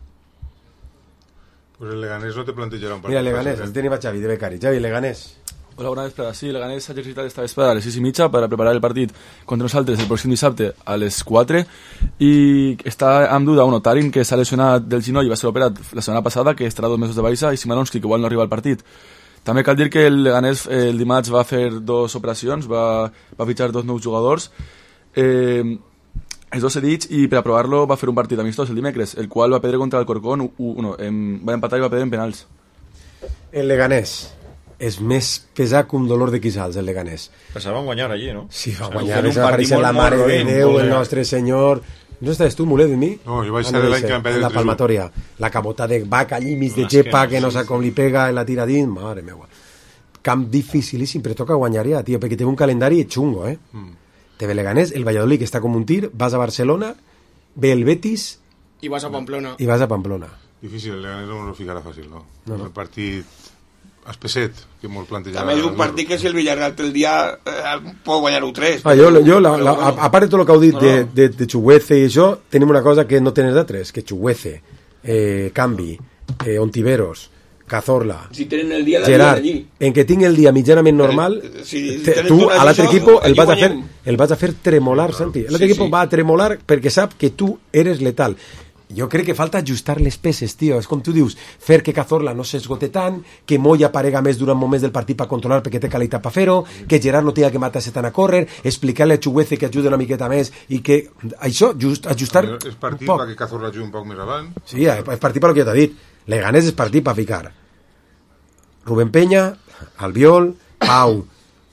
Pues el Leganés no te plantejarà un partit. Mira, Leganés, el tenim a Xavi de becari. Xavi, Leganés. Hola, bona vesprada. Sí, Leganés s'ha exercitat esta vesprada a les 6:30 per a preparar el partit contra nosaltres el pròxim dissabte a les 4 i està amb duda un Tarin que s'ha lesionat del genoll i va ser operat la setmana passada, que estarà 2 mesos de baixa, i Simanowski, que igual no arriba al partit. També cal dir que el Leganés el dimarts va fer 2 operacions, va fitxar 2 nous jugadors, els 2 cedits, i per a provar-lo va fer un partit amistós el dimecres, el qual va perdre contra el Corcón, va empatar i va perdre en penals. El Leganés. és més pesat que un dolor de quissals, el Leganés. Però se van guanyar allí, no? Sí, va guanyar, va aparèixer la Mare de Déu, el Nostre Senyor... No estaves tu, Mulet, de mi? No, jo vaig ser l'any que vam perdre la palmatòria. La cabota de vaca allí, mig de gepa, que no sap com li pega, la tira dins, mare meua. Camp dificilíssim, però toca guanyar ja, tio, perquè té un calendari xungo, Te ve Leganés, el Valladolid, que està com un tir, vas a Barcelona, ve el Betis... I vas a Pamplona. Difícil, el Leganés no ho ficarà fàcil, no? El partit espeset, que molt plantejava... També és un partit que si el Villarreal té el dia pot guanyar-ho 3. A part de tot el que heu dit de Chuguece i això, tenim una cosa que no tens d'altres, que Chuguece, Cambi, Ontiveros, Cazorla, si tenen el dia Gerard, en que tinc el dia mitjanament normal, tu a l'altre equip el vas a fer tremolar, Santi. L'altre equip va a tremolar perquè sap que tu eres letal. Jo crec que falta ajustar les peces, tio. És com tu dius, fer que Cazorla no s'esgote tant, que Moya aparega més durant moments del partit per controlar perquè té qualitat per fer-ho, que Gerard no tingui que matar-se tant a córrer, explicar-li a Chuguece que ajuda una miqueta més i que això, ajustar és partit perquè Cazorla jugui un poc més avant. Sí, és partit per el que jo t'he dit. Leganés és partit per ficar Rubén Peña, Albiol, Pau,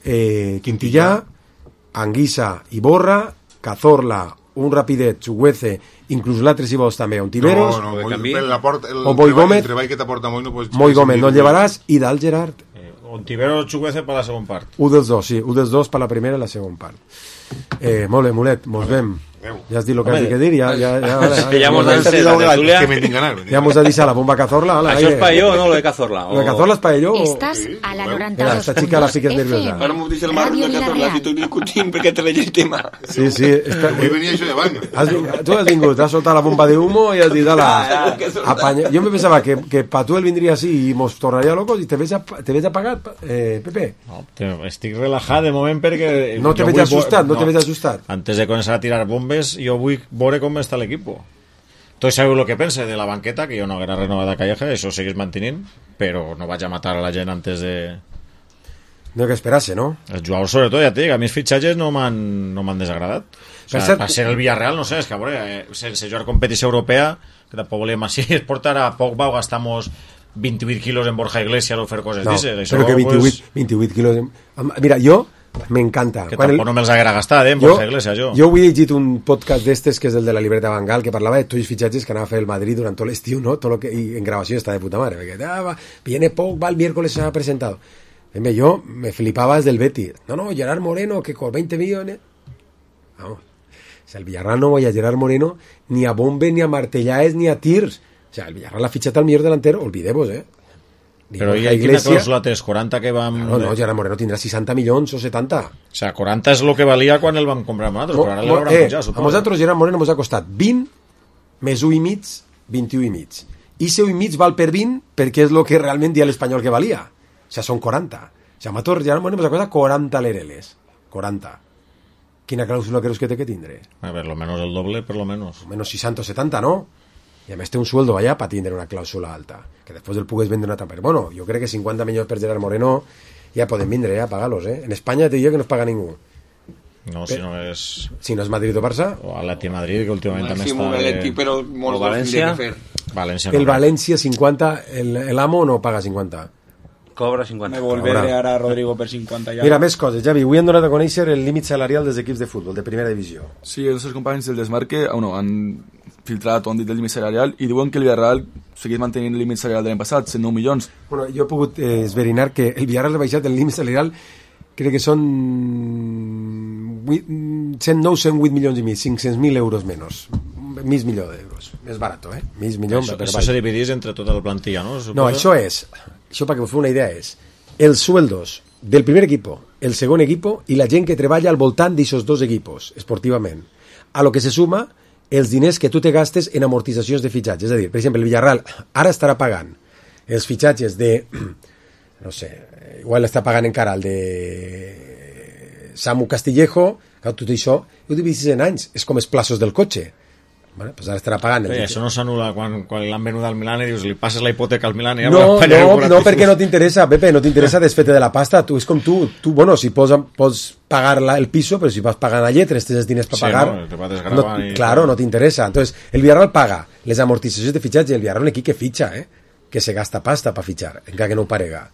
Quintillà, Anguissa i Borra, Cazorla, un rapidet, Chuguece, inclús l'altre si vols també, Ontiveros, o Moi Gómez, Moi Gómez no el llevaràs, i dalt Gerard. Ontiveros, Chuguece per la segona part. Un dels dos, sí, un dels dos per la primera i la segona part. Molt bé, Mulet, mos vem. Ja has dit el que has de dir, ja hemos dado la tertulia. Ya hemos dicho la bomba Cazorla. Això és pa yo, no lo de Cazorla. Lo de Cazorla es pa yo. Estás a la 92. Esta chica la fiques nerviosa. Ahora hemos dicho el marro de Cazorla, si tu discutim perquè te veig el tema. Sí. Avui venia això de banc. Tu has vingut, has soltat la bomba de humo i has dit, apaña. Yo me pensaba que pa tu él vendría así y mos tornaria locos y te ves apagat, Pepe. No, estic relajat de moment perquè... No te veig ajustat. Antes de començar a tirar bombes, jo vull veure com està l'equip. Tots sabeu el que pense de la banqueta, que jo no haguera renovat a Calleja, això ho seguís mantenint, però no vaig a matar a la gent antes de... No que esperar-se, no? Els jugadors, sobretot, ja et dic, a mi els fitxatges no m'han desagradat. O sigui, per ser el Villarreal, no sé, és que a veure, sense jugar competició europea, que tampoc volíem així, es portar a Pogba o gastamos 28 quilos en Borja Iglesias o fer coses d'aixes. No, però que 28 quilos... Mira, jo m'encanta. Que tampoc no me'ls haguera gastat, en Borja Iglesias, jo. Jo avui he llegit un podcast d'estes, que és el de la libreta Bangal, que parlava de tots els fitxatges que anava a fer el Madrid durant tot l'estiu, no? Todo lo que, y en gravació està de puta madre, perquè viene Pogba el miércoles, se ha presentado. Yo me flipaba desde el Betis. No, Gerard Moreno, que con 20 millones... Vamos. O sea, el Villarreal no voy a Gerard Moreno ni a Bombe, ni a Martellaes, ni a Tirs. O sea, el Villarreal ha fichat al millor delantero, olvidemos, Però hi ha quina clàusula té? 40 que vam... No, Gerard Moreno tindrà 60 milions o 70. O sea, 40 és el que valia quan el van comprar amb nosaltres, però ara l'hauran pujat, suposo. A nosaltres Gerard Moreno ens ha costat 20 més 1 i mig, 21 i mig. I 1 i mig val per 20 perquè és el que realment dia l'Espanyol que valia. O sea, són 40. O sea, a nosaltres Gerard Moreno ens ha costat 40 lereles. 40. Quina clàusula creus que té que tindre? A ver, lo menos el doble, per lo menos. Menos 60 o 70, ¿no? Y además té un sueldo allá para tener una cláusula alta, que después del pugues vender una tapa. Bueno, yo creo que 50 millones per Gerard Moreno ya pueden vender, ya pagarlos, En España te digo que no es paga ningú. No, si no és... Si no és Madrid o Barça. O Atleti Madrid, que últimament també està... Però molts València. València el València 50, el Amo no paga 50. Cobra 50. Me volveré ara a Rodrigo per 50 ja. Mira, més coses, Javi. Avui han donat a conèixer el límit salarial dels equips de futbol, de primera divisió. Sí, els nostres companys del Desmarque han filtrat o han dit el límit salarial i diuen que el Villarreal segueix mantenint el límit salarial de l'any passat, 109 milions. Bueno, jo he pogut esverinar que el Villarreal ha baixat el límit salarial, crec que són 108 milions i mig, 500.000 euros menys. Mig milió d'euros. Més barat, Mig milió. Això se dividís entre tota la plantilla, ¿no? No, això para que us feu una idea és els sueldos del primer equipo, el segon equipo i la gent que treballa al voltant d'aquests dos equipos, esportivament. A lo que se suma els diners que tu te gastes en amortitzacions de fitxatges. És a dir, per exemple, el Villarreal ara estarà pagant els fitxatges de, no sé, igual està pagant encara el de Samu Castillejo, tot això ho dividis en anys, és com els plaços del cotxe. Bueno, pues ara estarà pagant. Això no s'anula quan l'han venut al Milan i dius, li passes la hipoteca al Milan i no, perquè no t'interessa, Pepe, no t'interessa desfete de la pasta. Tu és com tu, bueno, si pots pagar el piso, però si vas pagar la lletra, tens diners per pagar, claro, no t'interessa. Entonces, el Villarreal paga les amortitzacions de fitxatge i el Villarreal un equip que fitxa, que se gasta pasta per fitxar, encara que no ho parega.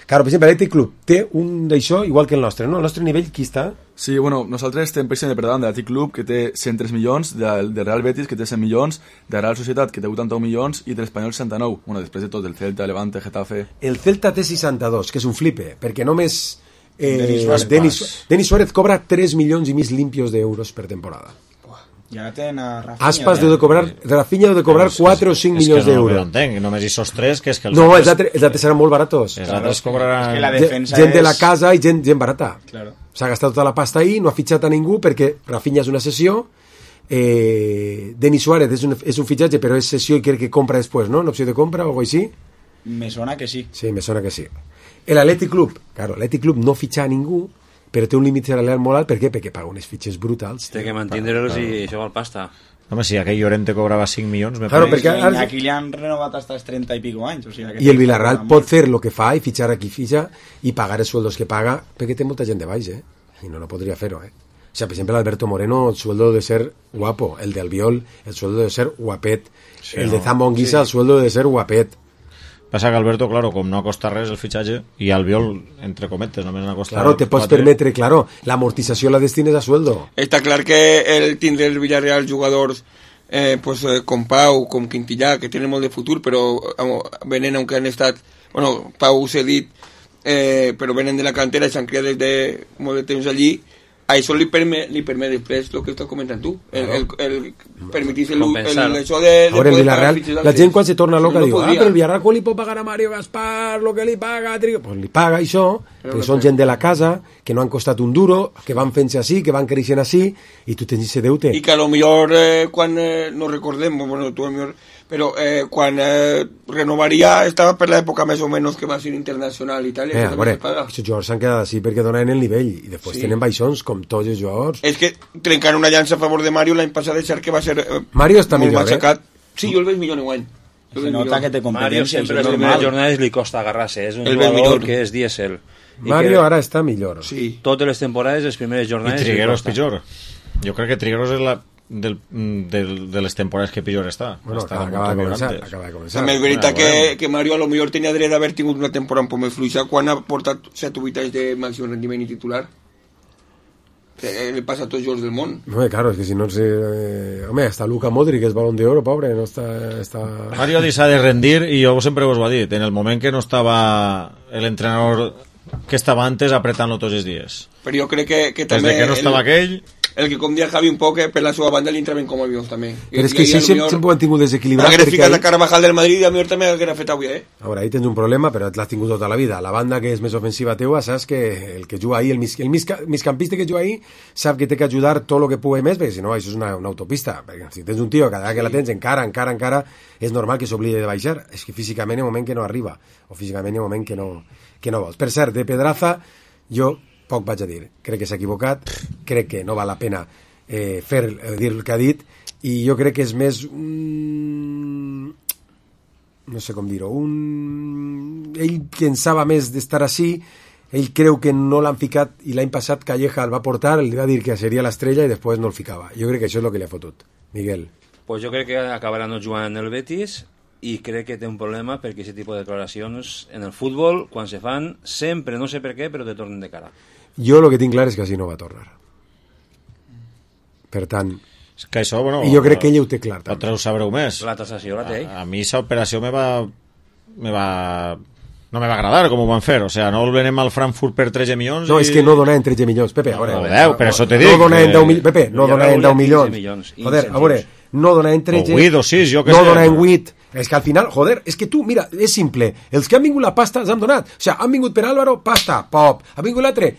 Claro, per exemple, l'Atlètic Club té un d'això igual que el nostre, no? El nostre nivell, qui està? Sí, bueno, nosaltres estem precisament per davant de l'Atlètic Club, que té 103 milions, de Real Betis, que té 100 milions, de Real Societat, que té 81 milions, i de l'Espanyol 69. Bueno, després de tot, el Celta, Levante, Getafe... El Celta té 62, que és un flipe, perquè només Denis Suárez cobra 3 milions i mig limpios d'euros per temporada. Ja tenen a Rafinha. Aspas deu de cobrar, Rafinha deu de cobrar 4 o 5 milions d'euros. No ho entenc, només hi sos 3, que és que... No, els altres seran molt baratos. Els altres cobraran... Gent de la casa i gent barata. Claro. S'ha gastat tota la pasta ahí, no ha fitxat a ningú perquè Rafinha és una cessió, Denis Suárez és un fitxatge, però és cessió i crec que compra després, ¿no? Una opció de compra o algo així? Me sona que sí. Sí, me sona que sí. L'Atlètic Club, claro, l'Atlètic Club no fitxa a ningú, però té un límit salarial molt alt. Per què? Perquè paga unes fitxes brutals. Té que mantindre-los i això val pasta. Home, si aquell Llorente cobrava 5 milions... Claro, perquè aquí li han renovat hasta els 30 i pico anys. O sigui, I el Villarreal pot fer el que fa i fitxar a qui fitxa i pagar els sueldos que paga, perquè té molta gent de baix, i no podria fer-ho, O sea, por ejemplo, Alberto Moreno, el sueldo debe ser guapo. El de Albiol, el sueldo debe ser guapet. Sí, el de Zambo Anguissa, el sueldo debe ser guapet. Passa que Alberto, claro, com no costa res el fitxatge, i Albiol, entre cometes, només no costa... Claro, te pots permetre, claro, la amortització la destines a sueldo. Està clar que el tindre el Villarreal jugadors com Pau, com Quintillà, que tenen molt de futur, però venen, aunque han estat... Bueno, Pau s'ha dit, però venen de la cantera i s'han criat des de molt de temps allí. A això li permet després el que estàs comentant tu, el permetir-se això de... Ahora, el Villarreal, la gent quan se torna loca diu, però el Villarreal com li pot pagar a Mario Gaspar lo que li paga? Pues li paga això, perquè són gent de la casa, que no han costat un duro, que van fent-se així, que van creixent així, i tu tens ese deute. I que a lo millor quan no recordem, bueno, tu a lo millor... Però quan renovaria estava per l'època més o menys que va ser internacional i tal. A veure, aquests jugadors s'han quedat així perquè donen el nivell i després tenen baixons com tots els jugadors. És que trencant una llança a favor de Mario l'any passat és cert que va ser Mario està millor, machacat. Sí, jo el veig millor enguany. Se nota que té competència. Mario sempre les primeres jornades li costa agarrar-se, és un jugador que és dièsel. Mario ara està millor. Sí. Totes les temporades, les primeres jornades... I Trigueros pitjor. Jo crec que Trigueros és la... de les temporades que pitjor està. Bueno, acaba de començar. També és veritat que Mario a lo millor tenia dret d'haver tingut una temporada un poc més fluixa quan ha portat 7 o 8 anys de màxim rendiment i titular. Le passa a tots els jugadors del món. No, claro, és que si no... Home, hasta Luka Modric és balón de oro, pobre, no està... Mario s'ha de rendir i jo sempre us ho he dit, en el moment que no estava l'entrenador que estava antes apretant-lo tots els dies. Però jo crec que també... Des que no estava aquell... El que com dia Javi un poc, per la seva banda li entraven com avions també. Però és que sí, sempre ho han tingut desequilibrat. Hagués ficat la Carvajal del Madrid i a mi també l'hagués fet avui, Ara, ahí tens un problema, però l'has tingut tota la vida. La banda que és més ofensiva teua, saps que el que juga ahí, el migcampista que juga ahí, sap que té que ajudar tot el que pugui més, perquè si no, això és una autopista. Perquè si tens un tio, cada vegada que la tens encara, és normal que s'oblide de baixar. És que físicament hi ha un moment que no arriba, o físicament hi ha un moment que no vols. Per cert, de Pedraza, jo poc vaig a dir. Crec que s'ha equivocat, crec que no val la pena dir el que ha dit, i jo crec que és més no sé com dir-ho, ell pensava més d'estar així, ell creu que no l'han ficat, i l'any passat Calleja el va portar, li va dir que seria l'estrella i després no el ficava. Jo crec que això és el que li ha fotut. Miguel. Pues jo crec que acabarà no jugant en el Betis, i crec que té un problema perquè aquest tipus de declaracions en el futbol, quan se fan, sempre, no sé per què, però te tornen de cara. Jo el que tinc clar és que així no va tornar. Per tant... És que això, bueno... I jo crec que ell ho té clar. Vosaltres ho sabreu més. La tasació la té. A mi aquesta operació no me va agradar com ho van fer. O sea, no el venem al Frankfurt per 13 milions. No, és que no donaven 13 milions, Pepe. A veure, 10, per això te dic. No donaven 10 milions, Pepe, no donaven 10 milions. Joder, a veure, no donaven 13... O 8 o 6, jo que sé. No donaven 8... És que al final, joder, és que tu, mira, és simple, els que han vingut la pasta els han donat, o sigui, han vingut per Álvaro, pasta, pop, ha vingut l'altre,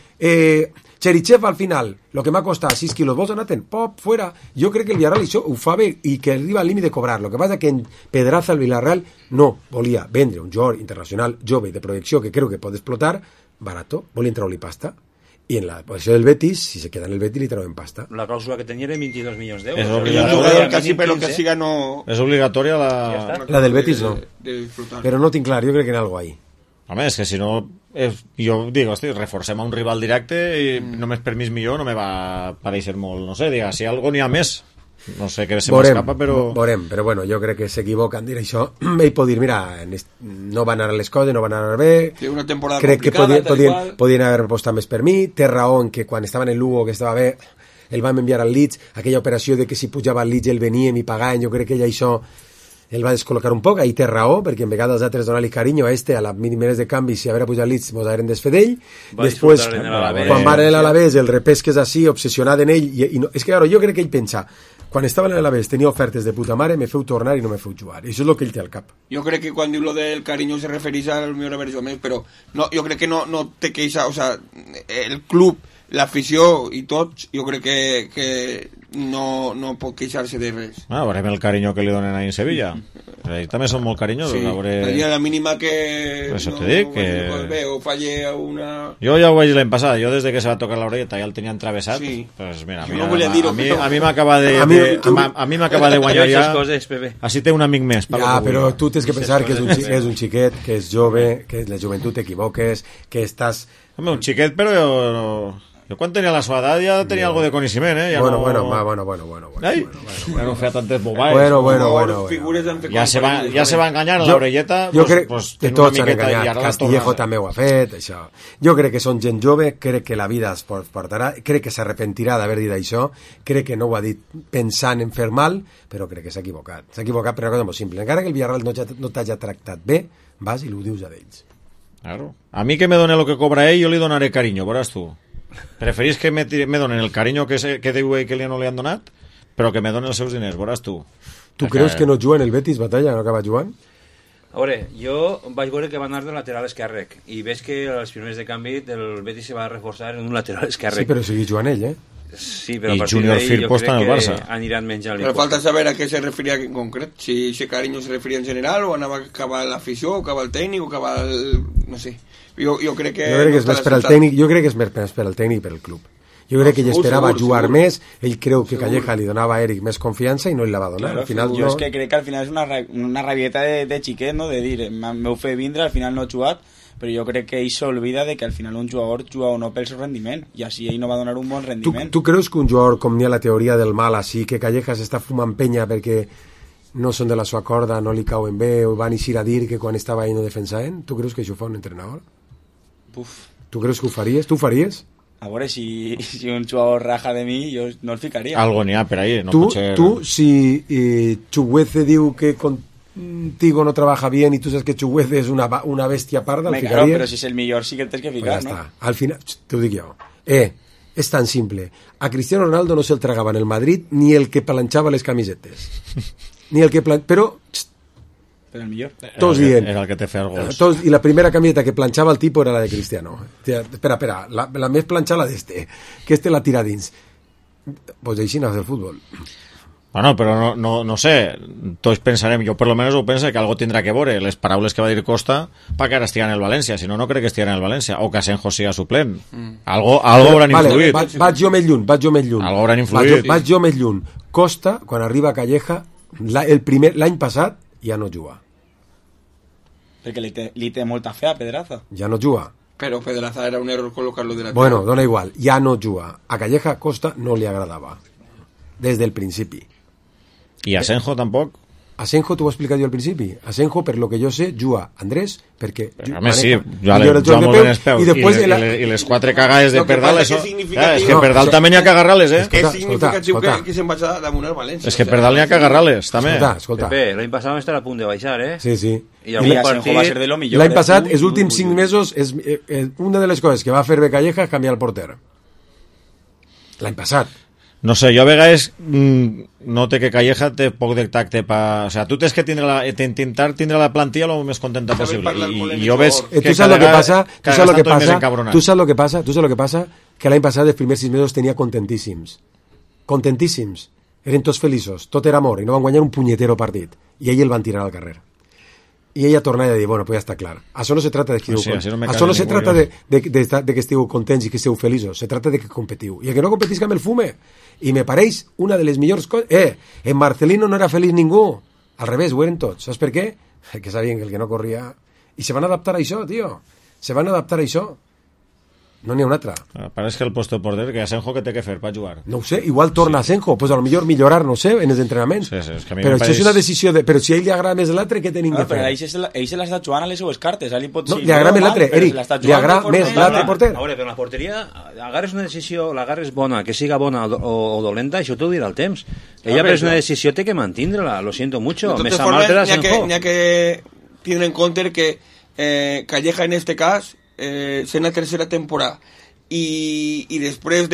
Cherichev al final, lo que m'ha costat 6 quilos, vos donaten, pop, fuera. Jo crec que el Villarreal això ho fa bé i que arriba al límit de cobrar. Lo que passa que en Pedraza el Villarreal no volia vendre un jugador internacional jove de projecció que creu que pot explotar, barato, volia entrar-li pasta. I en la posició del Betis, si se queda en el Betis, li treuen pasta. La clàusula que tenia era 22 milions d'euros. És obligatòria. Quasi, però que siga no... És obligatòria la... La del Betis no. Però no tinc clar, jo crec que en algo ahí. Home, és que si no... Jo dic, hosti, reforcem a un rival directe i només per mig milió no me va pareixer molt, no sé, diga, si algo n'hi ha més. no sé què se m'escapa, però... Veurem, però bueno, jo crec que s'equivoca en dir això. Ell pot dir, mira, no van anar les coses, no van anar bé, té una temporada crec que podien haver apostat més per mi, té raó en que quan estava en el Lugo, que estava bé, el vam enviar al Leeds, aquella operació de que si pujava al Leeds el veníem i pagaven, jo crec que ell això el va descol·locar un poc, ahí té raó, perquè en vegades els altres donar-li carinyo a a les mínimes de canvi, si haver pujat al Leeds mos hagueren desfer d'ell, després quan va a l'Alavés el repesques així, obsessionat en ell, i no, és que claro, jo crec que ell pensa, quan estava en l'Alavés tenia ofertes de puta mare, me feu tornar i no me feu jugar, això és el que ell té al cap. Jo crec que quan diu lo del carinyo se refereix al millor haver jugat més, però no, jo crec que no té queixa, o sea, el club, l'afició i tots, jo crec que no pot queixar-se de res. Veurem el carinyo que li donen ahí en Sevilla. Ells també són molt carinyosos. Sí, la mínima que això no, te dic, que... bé, o falle a una... Jo ja ho vaig l'any passat, jo des de que se va tocar l'orelleta ja el tenia entravessat, sí. Pues mira, no volia dir-ho, a mi m'acaba de guanyar ja, així té un amic més. Ja, però tu tens que pensar que és un xiquet, que és jove, que la joventut t'equivoques, que estàs... Home, un xiquet, però jo quan tenia la seva edat ja tenia algo de coneixement, ja bueno. Ja no feia tantes bobades. Bueno. Ja se va enganyar a l'orelleta. Jo crec que tots s'han enganyat. Castillejo també ho ha fet, això. Jo crec que són gent jove, crec que la vida es portarà, crec que s'arrepentirà d'haver dit això, crec que no ho ha dit pensant en fer mal, però crec que s'ha equivocat. S'ha equivocat per una cosa molt simple. Encara que el Villarreal no t'hagi tractat bé, vas i ho dius a ells. Claro. A mi que me done lo que cobra ell, jo li donaré carinyo, veuràs tu. Preferís que me donen el carinyo que diu ell que no li han donat, però que me donen els seus diners, veuràs tu. Tu creus que no juga en el Betis, Batalla, no acaba jugant? A veure, jo vaig veure que va anar de lateral esquerre i veig que als primers de canvi el Betis se va reforçar en un lateral esquerre. Sí, però segueix jugant ell, Sí, però i Junior Firpo està en el Barça. Aniran menjant. Però falta saber a què se referia en concret, si ese carinyo se referia en general o anava a acabar l'afició, o acabar el tècnic, o acabar el... no sé. Jo crec que és més per al tècnic, jo crec que és més per al tècnic i per al club. Jo crec que ell esperava jugar més, ell creu que Calleja li donava a Eric més confiança i no li la va donar. Claro, al final jo és que crec que al final és una rabieta de xiquet, no? De dir, m'heu fet vindre, al final no he jugat, però jo crec que ell s'olvida de que al final un jugador juga o no pel seu rendiment, i així ell no va donar un bon rendiment. Tu creus que un jugador, com n'hi ha la teoria del mal, així, que Calleja s'està fumant penya perquè no són de la sua corda, no li cauen bé, o van eixir a dir que quan estava ahí no defensaven? Tu creus que això ho fa un entrenador? Tu creus que ho faries? Tu ho faries? A veure, si un jugador raja de mi, jo no el ficaria. Algo n'hi ha per ahí. No tu, si Chugueze diu que contigo no trabaja bien y tú sabes que Chugueze es una bestia parda, ¿el ficaries? Claro, pero si es el millor sí que el tens que ficar, pues ¿no? Al final, te ho dic jo. És tan simple. A Cristiano Ronaldo no se'l tragava en el Madrid ni el que planxava les camisetes. Ni el que però el millor. Tots dient. Era el que te feia els gols. I la primera camiseta que planxava el tipo era la de Cristiano. Espera, la més planxada d'este, que este la tira dins. Pues així no és el futbol. Bueno, però no sé, tots pensarem, jo per lo menos ho penso que algo tindrà que veure les paraules que va dir Costa pa que ara estigui en el València, si no, no crec que estigui en el València, o que Asenjo siga suplent. Algo hauran influït. Vaig jo més lluny. Algo hauran influït. Vaig jo més lluny. Costa, quan arriba a Calleja, l'any passat ja no juga. Perquè li té molta fe a Pedraza. Ja no juga. Però Pedraza era un error col·locar-lo de la... Bueno, dona igual, ja no juga. A Calleja Costa no li agradava. Des del principi. I Asenjo tampoc? Asenjo t'ho he explicat jo al principi. Asenjo, per lo que jo sé, juga Andrés, perquè... A més, sí, juga molt ben els peus. I les quatre cagades de Perdal, això... És que Perdal també n'hi ha que agarrar-les, És significatiu que se'n vaig damunt al València. És que Perdal n'hi ha que agarrar-les, també. Escolta. L'any passat vam estar a punt de baixar, Sí. I Asenjo va ser de lo millor. L'any passat, els últims 5 mesos, una de les coses que va fer bé Calleja és canviar el porter. L'any passat. No sé, jo a vegades note que Calleja té poc de tacte o sea, tu tens que intentar tindre la plantilla lo més contenta possible i jo veig que cada vegada estan més encabronats. Tu saps lo que passa? Que l'any passat els primers 6 mesos tenia contentíssims, eren tots feliços, tot era amor i no van guanyar un punyetero partit i ell el van tirar al carrer i ella tornava a dir, bueno, pues ja està clar. Això no se trata de que això no se trata de que estigueu contents i que estigueu feliços, se trata de que competiu. I el que no competisca amb el fume. I me pareix una de les millors coses... en Marcelino no era feliç ningú. Al revés, ho eren tots. Saps per què? Que sabien que el que no corria... I se van adaptar a això, tio. Se van adaptar a això. No n'hi ha un altre. Parece que el puesto de porter, que Asenjo que té que fer per jugar. No ho sé, igual torna Asenjo, pues a lo millor millorar, no sé, en els entrenaments. Sí, és que a mi però això és una decisió de... Però si a ell li agrada més l'altre, què tenim que fer? Però ell se l'està jugant a les seues cartes, li pot no, li agrada més l'altre, Eric, li agrada més l'altre porter. A veure, però la porteria, agarres una decisió, l'agarres bona, que siga bona o dolenta, això t'ho dirà el temps. Ella pres una decisió, té que mantindre-la, lo siento mucho. De totes formes, n'hi ha que tindre en compte que Calleja en este cas sent la tercera temporada i després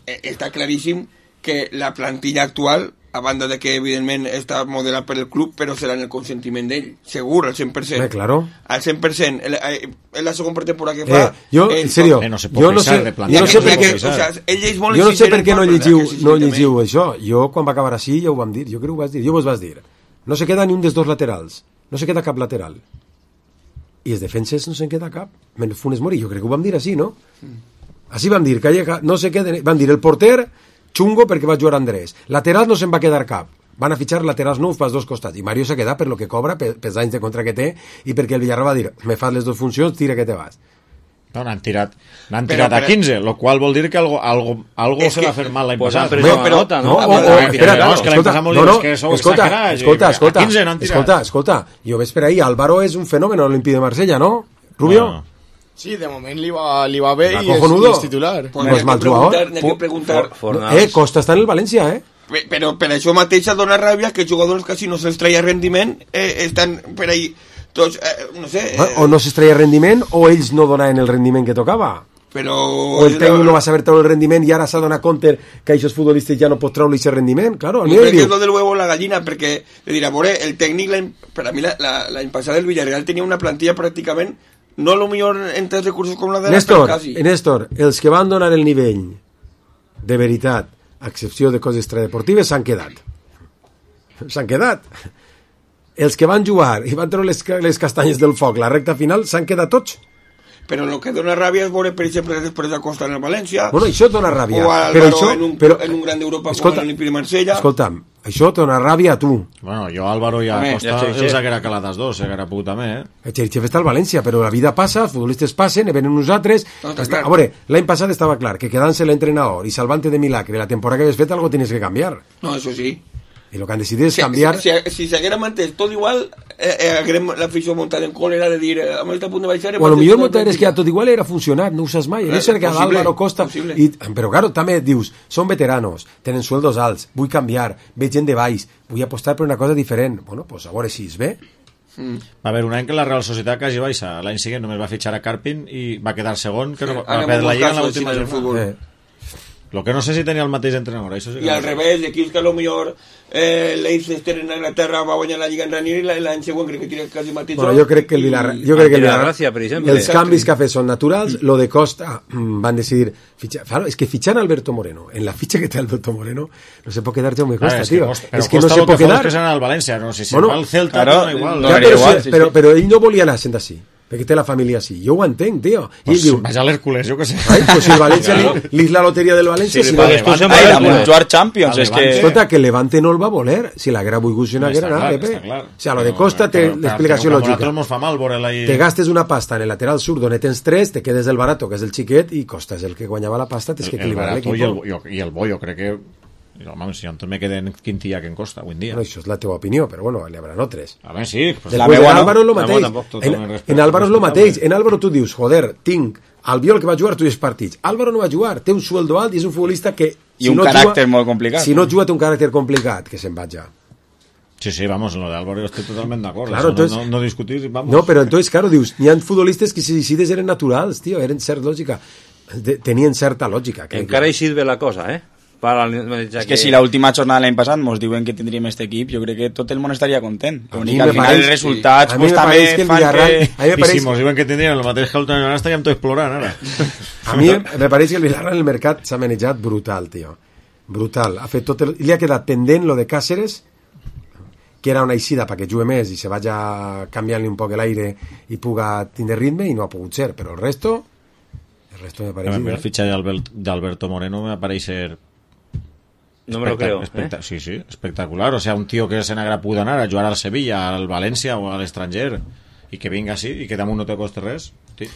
està claríssim que la plantilla actual, a banda de que evidentment està modelat per el club, però serà en el consentiment d'ell, segur, al 100%. Claro. Al 100%. És la segona temporada que fa. Jo, en serio, jo no sé per què no llegiu això. Jo, quan va acabar així, ja ho vam dir. Jo crec que ho vas dir. Jo vos vas dir. No se queda ni un dels dos laterals. No se queda cap lateral. I els defenses no se'n queda cap. Funes Mori, jo crec que ho vam dir així, no? Així vam dir, Calleja, no se queda... Vam dir, el porter, xungo perquè va jugar Andrés. Laterals no se'n va quedar cap. Van a fitxar laterals nous pels dos costats. I Mario s'ha quedat per lo que cobra, pels anys de contra que té, i perquè el Villarreal va dir, me fas les dues funcions, tira que te vas. No, n'han tirat a 15, lo qual vol dir que algo se va fer mal l'any passat. Escolta, jo ves per ahí, Álvaro és un fenomen a l'Olímpic de Marsella, ¿no? Rubio? Sí, de moment li va bé i és titular. No és mal jugador. Costa està en el València, Però per això mateix dona ràbia que jugadors quasi no se'ls treia rendiment estan per ahí tots, no sé... O no s'extreia rendiment o ells no donaven el rendiment que tocava. O el tècnic no va saber treure el rendiment i ara s'ha donat compte que aquests futbolistes ja no pot treure aquest rendiment. Claro, jo crec que és lo del huevo o la gallina, perquè dirà, el tècnic, per a mi l'any passat el Villarreal tenia una plantilla pràcticament no a lo millor en tants recursos com la de Néstor, els que van donar el nivell de veritat, a excepció de coses extradeportives, s'han quedat. Els que van jugar i van treure les castanyes del foc la recta final s'han quedat tots. Però el que dona ràbia és veure, per exemple, després de Costa en el València, bueno, això dona ràbia, o Álvaro en un gran d'Europa com l'Olímpic de Marsella. Escolta'm, això dona ràbia a tu. Bueno, jo Álvaro i a Costa els haguera calat els dos, haguera pogut també, El Xerichev està al València, però la vida passa, els futbolistes passen, venen nosaltres. A veure, l'any passat estava clar que quedant-se l'entrenador i salvant-te de milagre la temporada que havies fet, algo tienes que canviar. No, eso sí. Y lo que han decidido es cambiar. Si se haguera mantès tot igual, haguérem l'afició muntada en còlera de dir amb el punt de baixar... Bueno, el millor muntar és que a tot igual era funcionar, no ho saps mai. No sé que Álvaro Costa... Però claro, també dius, són veteranos, tenen sueldos alts, vull canviar, veig gent de baix, vull apostar per una cosa diferent. Bueno, pues a veure si és bé. Va haver un any que la Real Societat quasi baixa. L'any següent només va fitxar a Carpin i va quedar segon, que va perdre la lliga en l'última jornada. Lo que no sé si tenia el mateix entrenador. Això sí que al revés, aquí és que a lo millor Leicester en Anglaterra va guanyar la Lliga en Ranier i l'any següent crec que tira quasi mateix. Bueno, jo crec que el Villarreal els canvis que ha fet són naturals. Lo de Costa van decidir fitxar. Claro, es que fichan a Alberto Moreno, en la ficha que té Alberto Moreno no se pot quedar Jaume Costa, tío. Es que no se pot quedar. Que al València, no sé si va al Celta, però ell no volia anar sent així. Perquè té la família així. Jo ho entenc, tio. Pues vaja a l'Hércules, jo què sé. Pues si el València li la loteria del València... jugar Champions, és que... Escolta, que el Levante no el va voler. Si l'haguera volgut, si no haguera anat. O sea, lo de Costa té l'explicació lògica. Te gastes una pasta en el lateral sur, on tens 3, te quedes del barato, que és el xiquet, i Costa és el que guanyava la pasta, tens que equilibrar l'equip. I el bo, jo crec que... Si jo me quedé en Quintilla que en Costa avui en dia. Bueno, això és la teva opinió, però bueno, n'hi haurà tres. A veure, sí. De la meva, en Álvaro és el mateix. En Álvaro és el mateix. En Álvaro tu dius, joder, tinc Albiol que va jugar tots els partits. Álvaro no va jugar, té un sueldo alt i és un futbolista que... I un caràcter molt complicat. Si no juga té un caràcter complicat, que se'n va ja. Sí, vamos, en lo de Álvaro estoy totalmente de acuerdo. Claro, entonces, no discutir, vamos. No, pero entonces, claro, dius, n'hi ha futbolistes que si decides eren naturals, tío, eren cert lògica. Tenien certa lògica. Encara hi sirve la cosa, És que si l'última jornada l'any passat ens diuen que tindríem aquest equip, jo crec que tot el món estaria content. L'únic al final els resultats pues, també fan que... I si ens diuen que tindríem el mateix que l'última jornada estaríem tot explorant ara. A mi me pareix que el Villarreal en el mercat s'ha manejat brutal, tio. Brutal. Ha fet tot li ha quedat pendent lo de Cáceres, que era una eixida perquè jugui més i se vaya canviant-li un poc l'aire i puga tindre ritme, i no ha pogut ser, però el resto me pareix... El fitxatge d'Alberto Moreno me pareix no me lo creo. Sí, espectacular. O sea, un tío que se n'haguera pogut anar a jugar al Sevilla, al València o a l'estranger i que vinga així i que damunt no te costa res. Sí.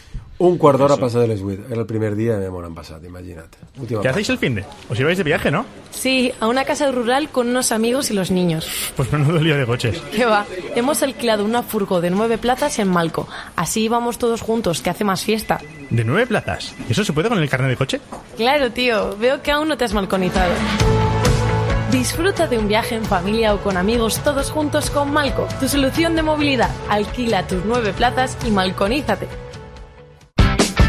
Un quart d'hora pasa de les 8. Era el primer día y me han pasado, imagínate. ¿Qué hacéis el finde? ¿Os ibais de viaje, no? Sí, a una casa rural con unos amigos y los niños. Pues menudo lío de coches. ¿Qué va? Hemos alquilado una furgo de 9 plazas en Malco. Así íbamos todos juntos, que hace más fiesta. ¿De 9 plazas? ¿Y eso se puede con el carnet de coche? Claro, tío. Veo que aún no te has malconizado. Disfruta de un viaje en familia o con amigos todos juntos con Malco, tu solución de movilidad. Alquila tus 9 plazas y malconízate.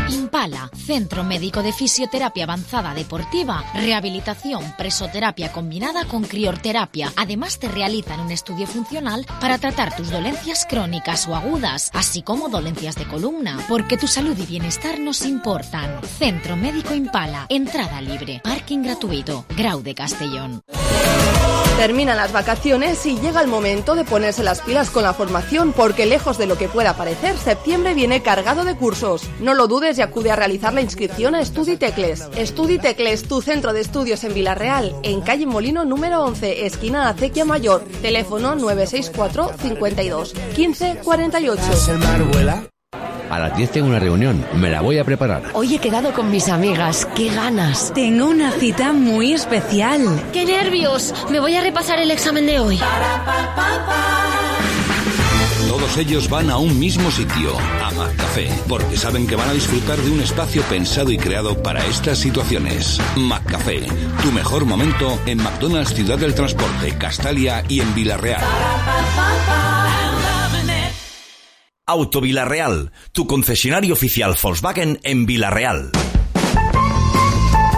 Impala, Centro Médico de Fisioterapia Avanzada Deportiva, rehabilitación, presoterapia combinada con criorterapia. Además te realizan un estudio funcional para tratar tus dolencias crónicas o agudas, así como dolencias de columna, porque tu salud y bienestar nos importan. Centro Médico Impala, entrada libre, parking gratuito, Grau de Castellón. Terminan las vacaciones y llega el momento de ponerse las pilas con la formación, porque lejos de lo que pueda parecer, septiembre viene cargado de cursos. No lo dudes y acude a realizar la inscripción a Estudi Tecles. Estudi Tecles, tu centro de estudios en Villarreal, en calle Molino número 11, esquina Acequia Mayor. Teléfono 964 52 15 48. A las 10 tengo una reunión, me la voy a preparar. Hoy he quedado con mis amigas, qué ganas. Tengo una cita muy especial. ¡Qué nervios! Me voy a repasar el examen de hoy. Todos ellos van a un mismo sitio, a McCafé, porque saben que van a disfrutar de un espacio pensado y creado para estas situaciones. McCafé, tu mejor momento en McDonald's Ciudad del Transporte, Castalia y en Villarreal. Auto Villarreal, tu concesionario oficial Volkswagen en Villarreal.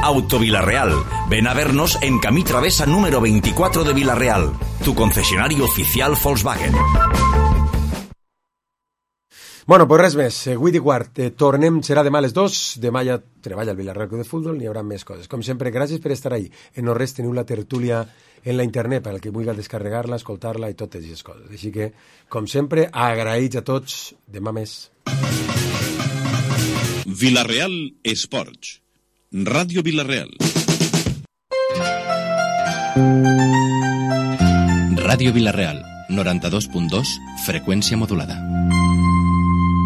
Auto Villarreal, ven a vernos en Camí Travesa número 24 de Villarreal, tu concesionario oficial Volkswagen. Bueno, pues res més, 8:15, tornem, serà demà a les 2, demà ja treballa el Villarreal Club de Futbol, n'hi haurà més coses. Com sempre, gràcies per estar ahí. En no res teniu la tertúlia en la internet per al que vulgui descarregar-la, escoltar-la i totes aquestes coses. Així que, com sempre, agraïts a tots, demà més. Villarreal Esports, Ràdio Villarreal. Ràdio Villarreal, 92.2, freqüència modulada.